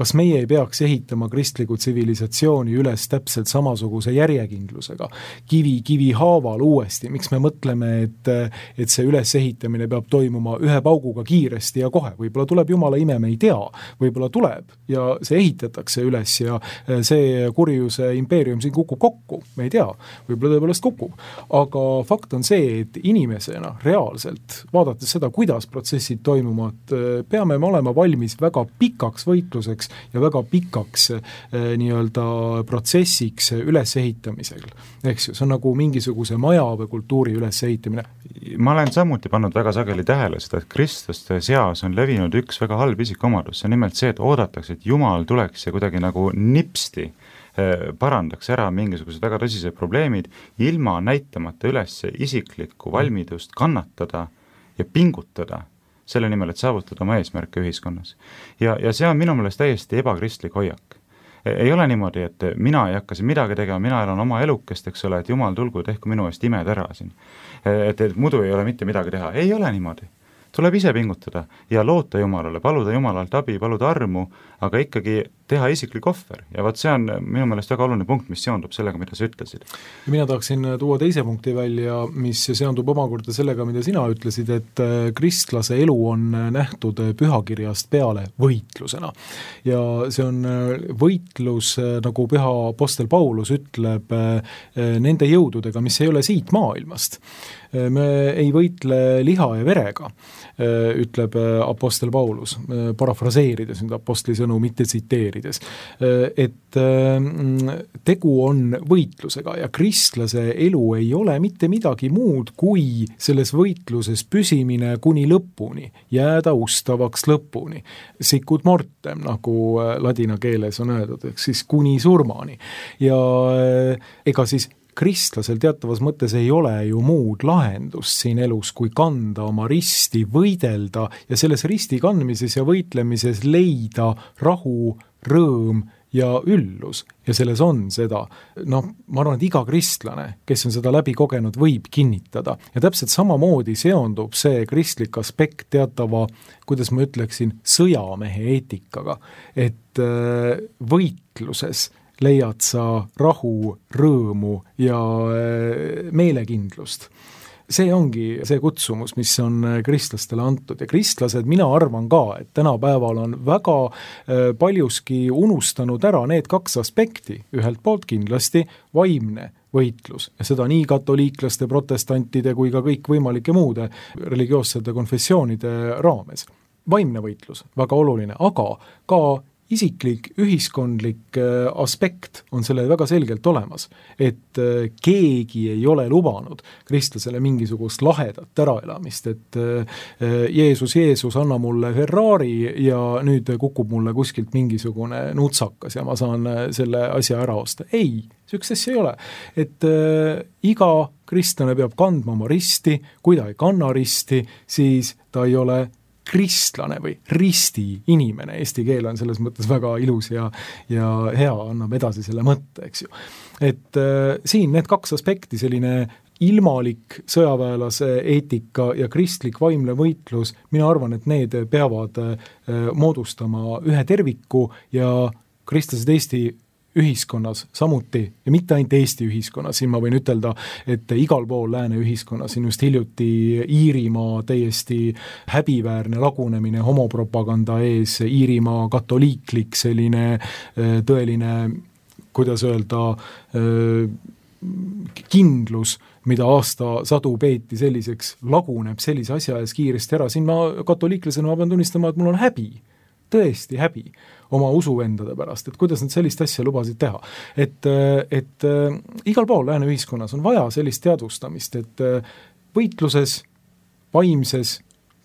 kas meie ei peaks ehitama kristlikku tsivilisatsiooni üles täpselt samasuguse järjekindlusega, kivi haaval uuesti, miks me mõtleme, et see ülesehitamine peab toimuma ühe pauguga kiiresti ja kohe, võib-olla tuleb jumala ime, me ei tea, võib-olla tuleb ja see ehitatakse üles ja see kurjuse impeerium siin kukub kokku, me ei tea, võib-olla tõepoolest kukub, aga fakt on see, et inimesena reaalselt, vaadates seda, kuidas protsessid toimuvad, peame me olema valmis väga pikaks võitluseks ja väga pikaks nii-öelda protsessiks ülesehitamisel. Eks ju, see on nagu mingisuguse maja või kultuuri ülesehitamine. Ma olen samuti pannud väga sageli tähele seda, et kristlaste seas on levinud üks väga halb isikuomadus, see on nimelt see, et oodatakse, et Jumal tuleks ja kuidagi nagu nipsti parandaks ära mingisugused väga tõsised probleemid, ilma näitamata üles isiklikku valmidust kannatada ja pingutada selle nimel, et saavutada oma eesmärke ühiskonnas. Ja see on minu meelest täiesti ebakristlik hoiak. Ei ole niimoodi, et mina ei hakka siin midagi tegema, mina elan oma elukest, eks ole, et Jumal tulgu, tehku minu eest imed ära siin. Et muidu ei ole mitte midagi teha. Ei ole niimoodi. Tuleb ise pingutada ja loota Jumalale, paluda Jumalalt abi, paluda armu, aga ikkagi teha isiklik ohver. Ja vaat see on minu meelest väga oluline punkt, mis seondub sellega, mida sa ütlesid. Ja mina tahaksin tuua teise punkti välja, mis seondub omakorda sellega, mida sina ütlesid, et kristlase elu on nähtud pühakirjast peale võitlusena. Ja see on võitlus, nagu püha apostel Paulus ütleb, nende jõududega, mis ei ole siit maailmast. Me ei võitle liha ja verega, ütleb apostel Paulus, parafraseerides nüüd apostli sõnu, mitte tsiteerides, et tegu on võitlusega ja kristlase elu ei ole mitte midagi muud kui selles võitluses püsimine kuni lõpuni, jääda ustavaks lõpuni. Sicut mortem, nagu ladina keeles on öeldud, siis kuni surmani. Ja ega siis kristlasel teatavas mõttes ei ole ju muud lahendust siin elus, kui kanda oma risti, võidelda ja selles risti kandmises ja võitlemises leida rahu, rõõm ja üllus. Ja selles on seda, ma arvan, et iga kristlane, kes on seda läbi kogenud, võib kinnitada. Ja täpselt samamoodi seondub see kristlik aspekt teatava, kuidas ma ütleksin, sõjamehe eetikaga, et võitluses leiad sa rahu, rõõmu ja meelekindlust. See ongi see kutsumus, mis on kristlastele antud ja kristlased, mina arvan ka, et tänapäeval on väga paljuski unustanud ära need kaks aspekti, ühelt poolt kindlasti vaimne võitlus ja seda nii katoliiklaste, protestantide kui ka kõik võimalike muude religioossete konfessioonide raames. Vaimne võitlus, väga oluline, aga ka isiklik, ühiskondlik aspekt on selle väga selgelt olemas, et keegi ei ole lubanud kristlasele mingisugust lahedat äraelamist, et Jeesus, anna mulle Ferrari ja nüüd kukub mulle kuskilt mingisugune nutsakas ja ma saan selle asja ära osta. Ei, sükses ei ole. Et iga kristlane peab kandma oma risti, kui ta ei kanna risti, siis ta ei ole kristlane või risti inimene. Eesti keel on selles mõttes väga ilus ja hea, annab edasi selle mõtte, eks ju. Et siin need kaks aspekti, selline ilmalik sõjaväelase eetika ja kristlik vaimne võitlus, mina arvan, et need peavad moodustama ühe terviku ja kristlased Eesti ühiskonnas samuti ja mitte ainult Eesti ühiskonnas, siin ma võin ütelda, et igal pool lääne ühiskonnas, siin just hiljuti Iirimaa täiesti häbiväärne lagunemine homopropaganda ees, Iirimaa katoliiklik selline tõeline, kuidas öelda, kindlus, mida aastasadu peeti selliseks, laguneb sellise asja ees kiiresti ära, siin ma katoliiklasena ma pean tunnistama, et mul on häbi, tõesti häbi oma usuvendade pärast, et kuidas nad sellist asja lubasid teha. Et igal pool lääne ühiskonnas on vaja sellist teadvustamist, et võitluses, vaimses,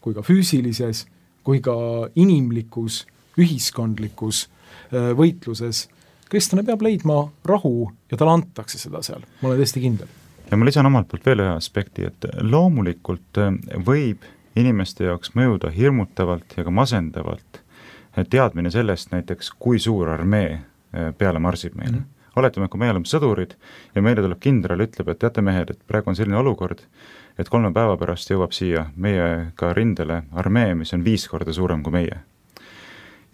kui ka füüsilises, kui ka inimlikus, ühiskondlikus võitluses kristlane peab leidma rahu ja talle antakse seda seal, ma olen tõesti kindel. Ja ma lisan omalt poolt veel ühe aspekti, et loomulikult võib inimeste jaoks mõjuda hirmutavalt ja ka masendavalt teadmine sellest näiteks, kui suur armee peale marsib meile. Oletame, kui me oleme sõdurid ja meile tuleb kindral, ütleb, et teate mehed, et praegu on selline olukord, et 3 päeva pärast jõuab siia meiega rindele armee, mis on 5 korda suurem kui meie.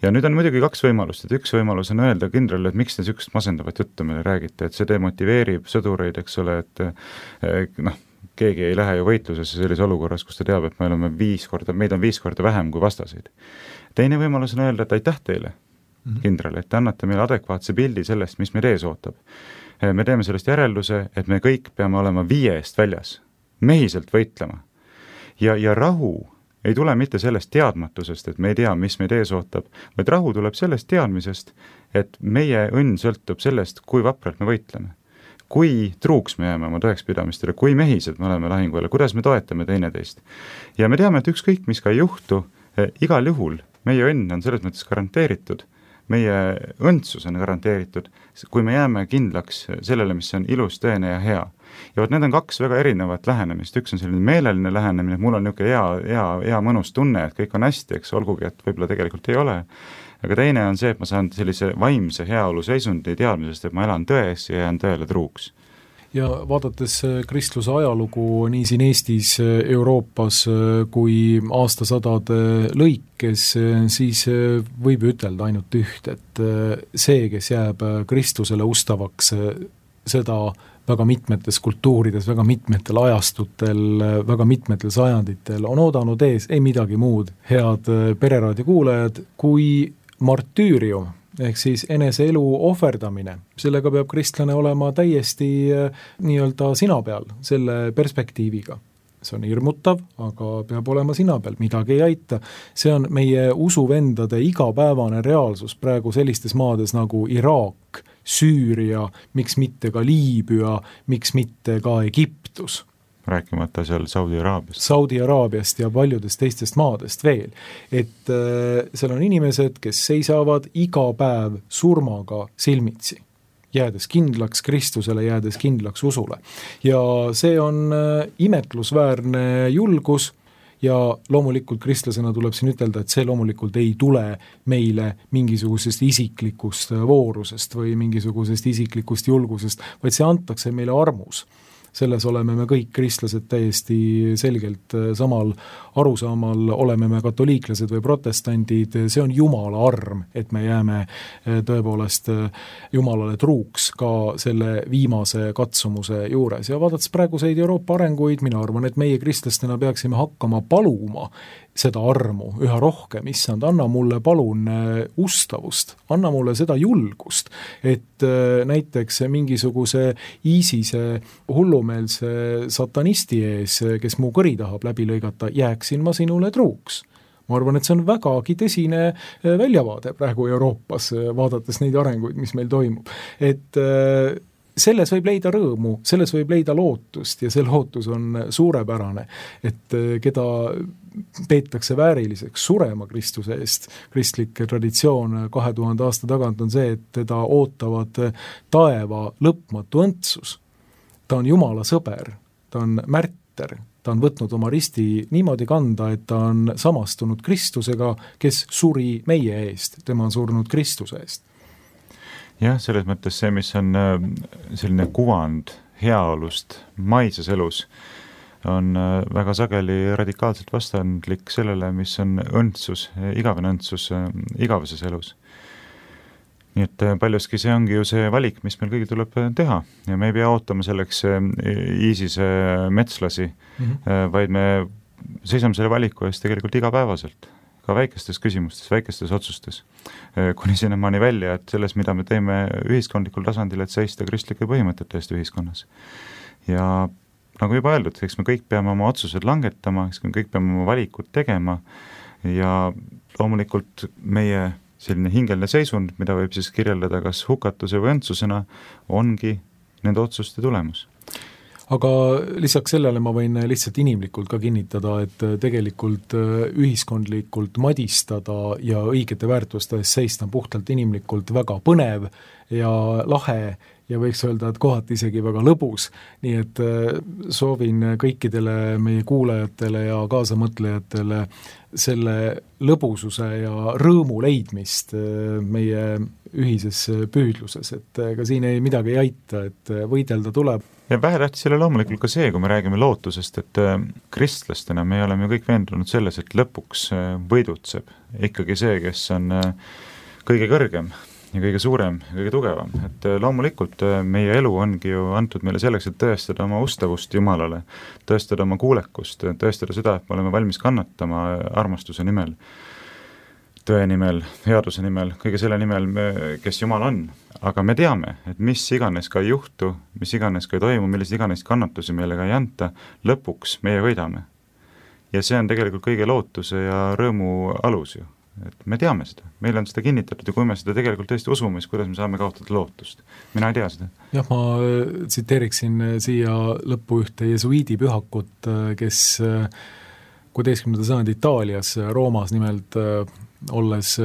Ja nüüd on muidugi kaks võimalust, et üks võimalus on öelda kindralile, et miks te niisugust masendavat juttu meile räägite, et see demotiveerib sõdureid, eks ole, et keegi ei lähe ju võitlusesse sellise olukorras, kus ta teab, et meid on 5 korda vähem kui vastaseid. Teine võimalus on öelda, et aitäh teile, kindral, et te annate meile adekvaatse pildi sellest, mis meid ees ootab. Me teeme sellest järelduse, et me kõik peame olema 5 eest väljas, mehiselt võitlema. Ja rahu ei tule mitte sellest teadmatusest, et me ei tea, mis meid ees ootab, vaid rahu tuleb sellest teadmisest, et meie õnn sõltub sellest, kui vapralt me võitleme. Kui truuks me jääme oma tõekspidamistele, kui mehised me oleme lahinguajal, kuidas me toetame teineteist. Ja me teame, et ükskõik, mis ka ei juhtu, igal juhul meie õnn on selles mõttes garanteeritud, meie õndsus on garanteeritud, kui me jääme kindlaks sellele, mis on ilus, tõene ja hea. Ja need on 2 väga erinevat lähenemist, üks on selline meeleline lähenemine, mul on niisugune hea mõnus tunne, et kõik on hästi, eks olgugi, et võib-olla tegelikult ei ole, aga teine on see, et ma saan sellise vaimse heaolu seisundi teadmisest, et ma elan tões ja jään tõele truuks. Ja vaadates kristluse ajalugu nii siin Eestis, Euroopas kui aastasadade lõikes, siis võib ütelda ainult üht, et see, kes jääb Kristusele ustavaks, seda väga mitmetes kultuurides, väga mitmetel ajastutel, väga mitmetel sajanditel on oodanud ees ei midagi muud, head Pereraadio kuulajad, kui martüürium, ehk siis enese elu ohverdamine. Sellega peab kristlane olema täiesti nii-öelda sina peal, selle perspektiiviga. See on hirmutav, aga peab olema sina peal, midagi ei aita. See on meie usuvendade igapäevane reaalsus praegu sellistes maades nagu Iraak, Süüria, miks mitte ka Liibüa, miks mitte ka Egiptus. Rääkimata seal Saudi-Araabiast ja paljudest teistest maadest veel. Et seal on inimesed, kes seisavad iga päev surmaga silmitsi, jäädes kindlaks Kristusele, jäädes kindlaks usule. Ja see on imetlusväärne julgus ja loomulikult kristlasena tuleb siin ütelda, et see loomulikult ei tule meile mingisugusest isiklikust voorusest või mingisugusest isiklikust julgusest, vaid see antakse meile armus. Selles oleme me kõik kristlased täiesti selgelt samal arusaamal, oleme me katoliiklased või protestandid, see on Jumala arm, et me jääme tõepoolest Jumalale truuks ka selle viimase katsumuse juures. Ja vaadates praeguseid Euroopa arenguid, mina arvan, et meie kristlastena peaksime hakkama paluma seda armu üha rohkem, issand, anna mulle palun ustavust, anna mulle seda julgust, et näiteks mingisuguse ISISe hullumeelse satanisti ees, kes mu kõri tahab läbi lõigata, jääksin ma sinule truuks. Ma arvan, et see on vägagi tõsine väljavaade praegu Euroopas, vaadates neid arenguid, mis meil toimub. Et selles võib leida rõõmu, selles võib leida lootust ja see lootus on suurepärane, et keda peetakse vääriliseks surema Kristuse eest. Kristlik traditsioon 2000 aasta tagant on see, et teda ootavad taeva lõpmatu õndsus. Ta on Jumala sõber, ta on märter, ta on võtnud oma risti niimoodi kanda, et ta on samastunud Kristusega, kes suri meie eest, tema on surnud Kristuse eest. Jah, selles mõttes see, mis on selline kuvand heaolust maises elus, on väga sageli radikaalselt vastandlik sellele, mis on õndsus, igavene õndsus igaveses elus. Nii et paljuski see ongi ju see valik, mis meil kõigi tuleb teha ja me ei pea ootama selleks ISISe metslasi, vaid me seisame selle valiku eest tegelikult igapäevaselt. Ka väikestes küsimustes, väikestes otsustes, kuni sinnamaani välja, et selles, mida me teeme ühiskondlikul tasandil, et seista kristlike põhimõtete eest ühiskonnas. Ja nagu juba öeldud, eks me kõik peame oma otsused langetama, eks me kõik peame oma valikud tegema ja loomulikult meie selline hingeline seisund, mida võib siis kirjeldada kas hukatuse või õndsusena, ongi nende otsuste tulemus. Aga lisaks sellele ma võin lihtsalt inimlikult ka kinnitada, et tegelikult ühiskondlikult madistada ja õigete väärtuste eest seista puhtalt inimlikult väga põnev ja lahe ja võiks öelda, et kohati isegi väga lõbus. Nii et soovin kõikidele meie kuulajatele ja kaasamõtlejatele selle lõbususe ja rõõmu leidmist meie ühises püüdluses, et ka siin ei midagi ei aita, et võidelda tuleb. Ja vähetähtis ei ole loomulikult ka see, kui me räägime lootusest, et kristlastena me oleme ju kõik veendunud selles, et lõpuks võidutseb ikkagi see, kes on kõige kõrgem ja kõige suurem ja kõige tugevam. Et loomulikult meie elu ongi ju antud meile selleks, et tõestada oma ustavust Jumalale, tõestada oma kuulekust, tõestada seda, et me oleme valmis kannatama armastuse nimel, tõe nimel, headuse nimel, kõige selle nimel, kes Jumal on. Aga me teame, et mis iganes ka ei juhtu, mis iganes ka ei toimu, millised iganes kannatusi meile ka ei anta, lõpuks meie võidame. Ja see on tegelikult kõige lootuse ja rõõmu alus ju. Et me teame seda, meil on seda kinnitatud ja kui me seda tegelikult tõesti usume, siis kuidas me saame kaotada lootust. Mina ei tea seda. Jah, ma tsiteeriksin siia lõppu ühte jesuiidi pühakut, kes 16. sajandi Itaalias, Roomas nimelt olles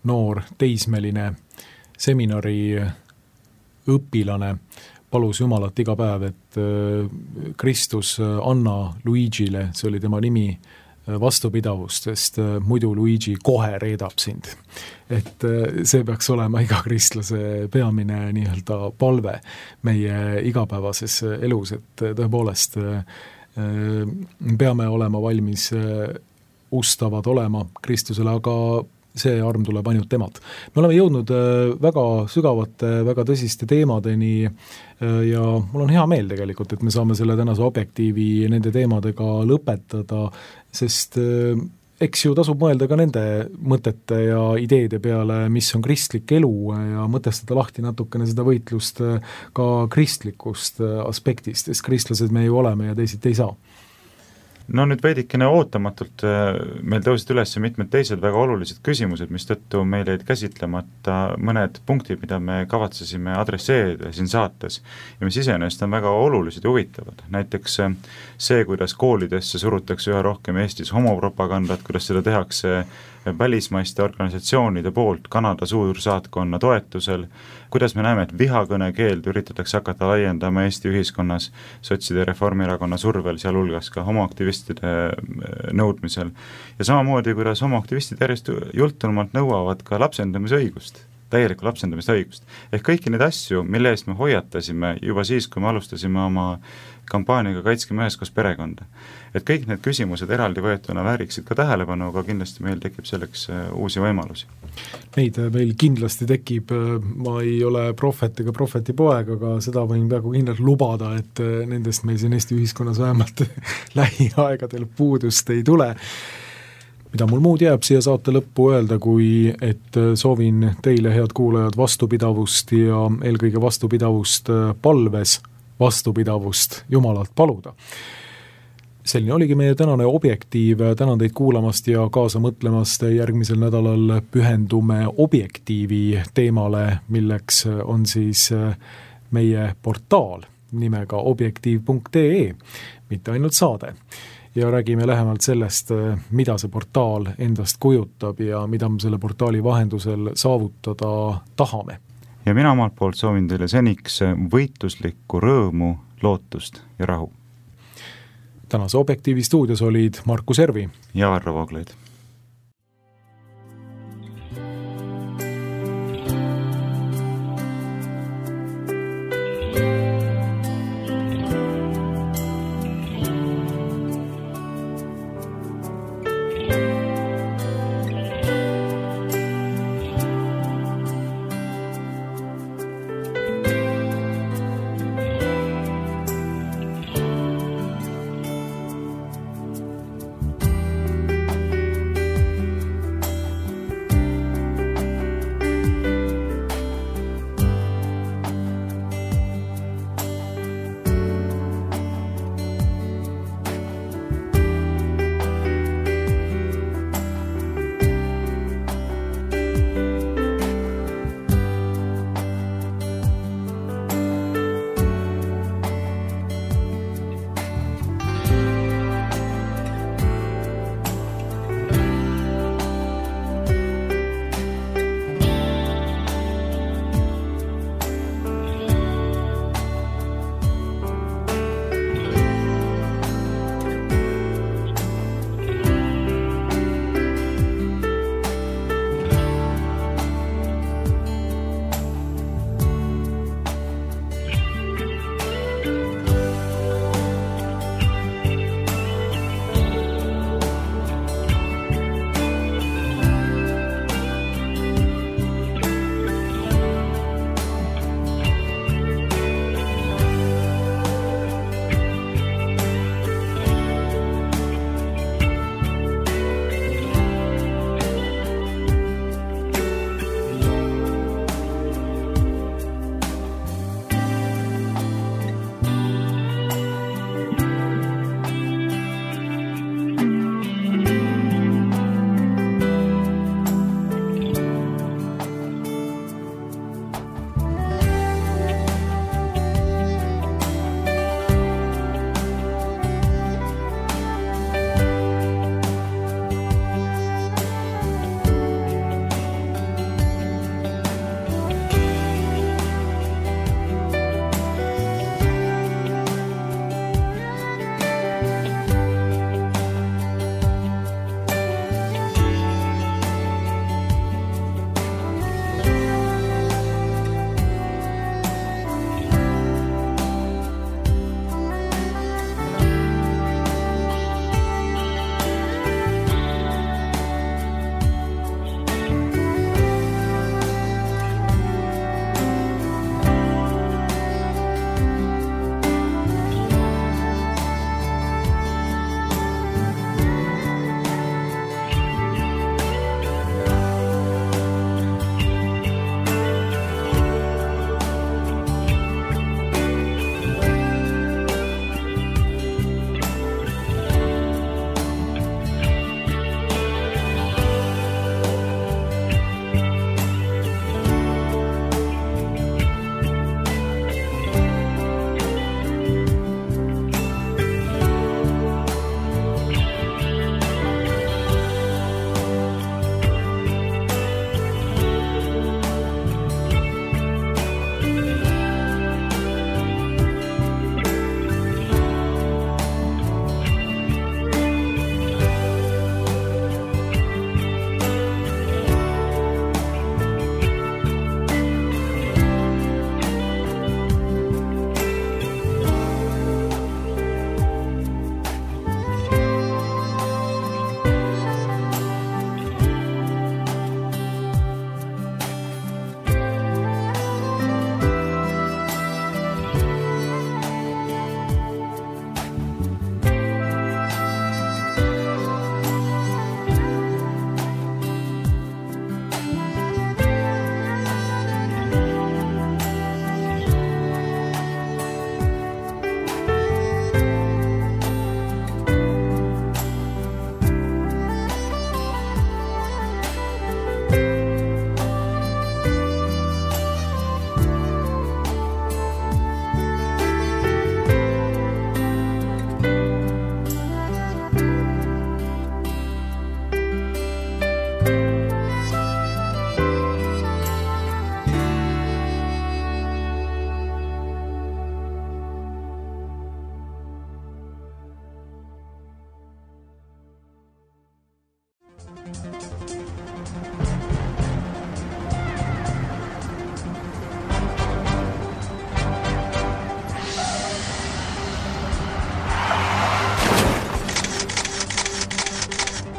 noor teismeline seminari õpilane, palus Jumalat iga päev, et Kristus anna Luigile, see oli tema nimi, vastupidavust, sest muidu Luigi kohe reedab sind. Et see peaks olema iga kristlase peamine nii-öelda palve meie igapäevases elus, et tõepoolest peame olema valmis ustavad olema Kristusele, aga see arm tuleb ainult temalt. Me oleme jõudnud väga sügavate, väga tõsiste teemadeni ja mul on hea meel tegelikult, et me saame selle tänase objektiivi nende teemadega lõpetada, sest eks ju tasub mõelda ka nende mõtete ja ideede peale, mis on kristlik elu ja mõtestada lahti natukene seda võitlust ka kristlikust aspektist, sest kristlased me ju oleme ja teised ei saa. No nüüd veidikene ootamatult meil tõusid üles mitmed teised väga olulised küsimused, mis tõttu meil jäid käsitlemata mõned punktid, mida me kavatsesime adresseerida siin saates ja mis iseenesest on väga olulised ja huvitavad. Näiteks see, kuidas koolidesse surutakse üha rohkem Eestis homopropagandat, kuidas seda tehakse välismaiste organisatsioonide poolt Kanada suursaatkonna toetusel, kuidas me näeme, et vihakõne keeldu üritatakse hakata laiendama Eesti ühiskonnas sotside Reformierakonna survel, sealhulgas ka homoaktivistide nõudmisel. Ja samamoodi, kuidas homoaktivistid järjest jultunumalt nõuavad ka lapsendamisõigust, täielikku lapsendamisõigust. Ehk kõiki neid asju, mille eest me hoiatasime juba siis, kui me alustasime oma kampaaniaga Kaitskeme üheskoos perekonda. Et kõik need küsimused eraldi võetuna vääriksid ka tähelepanu, aga kindlasti meil tekib selleks uusi võimalusi. Neid meil kindlasti tekib, ma ei ole prohvet ega prohvetipoeg, aga seda võin peaaegu kindlalt lubada, et nendest meil siin Eesti ühiskonnas vähemalt lähiaegadel puudust ei tule. Mida mul muud jääb siia saate lõppu öelda, kui et soovin teile, head kuulajad, vastupidavust ja eelkõige vastupidavust palves, vastupidavust Jumalalt paluda. Selline oligi meie tänane objektiiv, tänan teid kuulamast ja kaasa mõtlemast, järgmisel nädalal pühendume objektiivi teemale, milleks on siis meie portaal nimega objektiiv.ee, mitte ainult saade. Ja räägime lähemalt sellest, mida see portaal endast kujutab ja mida me selle portaali vahendusel saavutada tahame. Ja mina omalt poolt soovin teile seniks võitluslikku rõõmu, lootust ja rahu. Tänase objektiivi stuudios olid Markus Ervi ja Varro Vooglaid.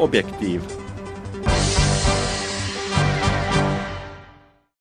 Objektiiv.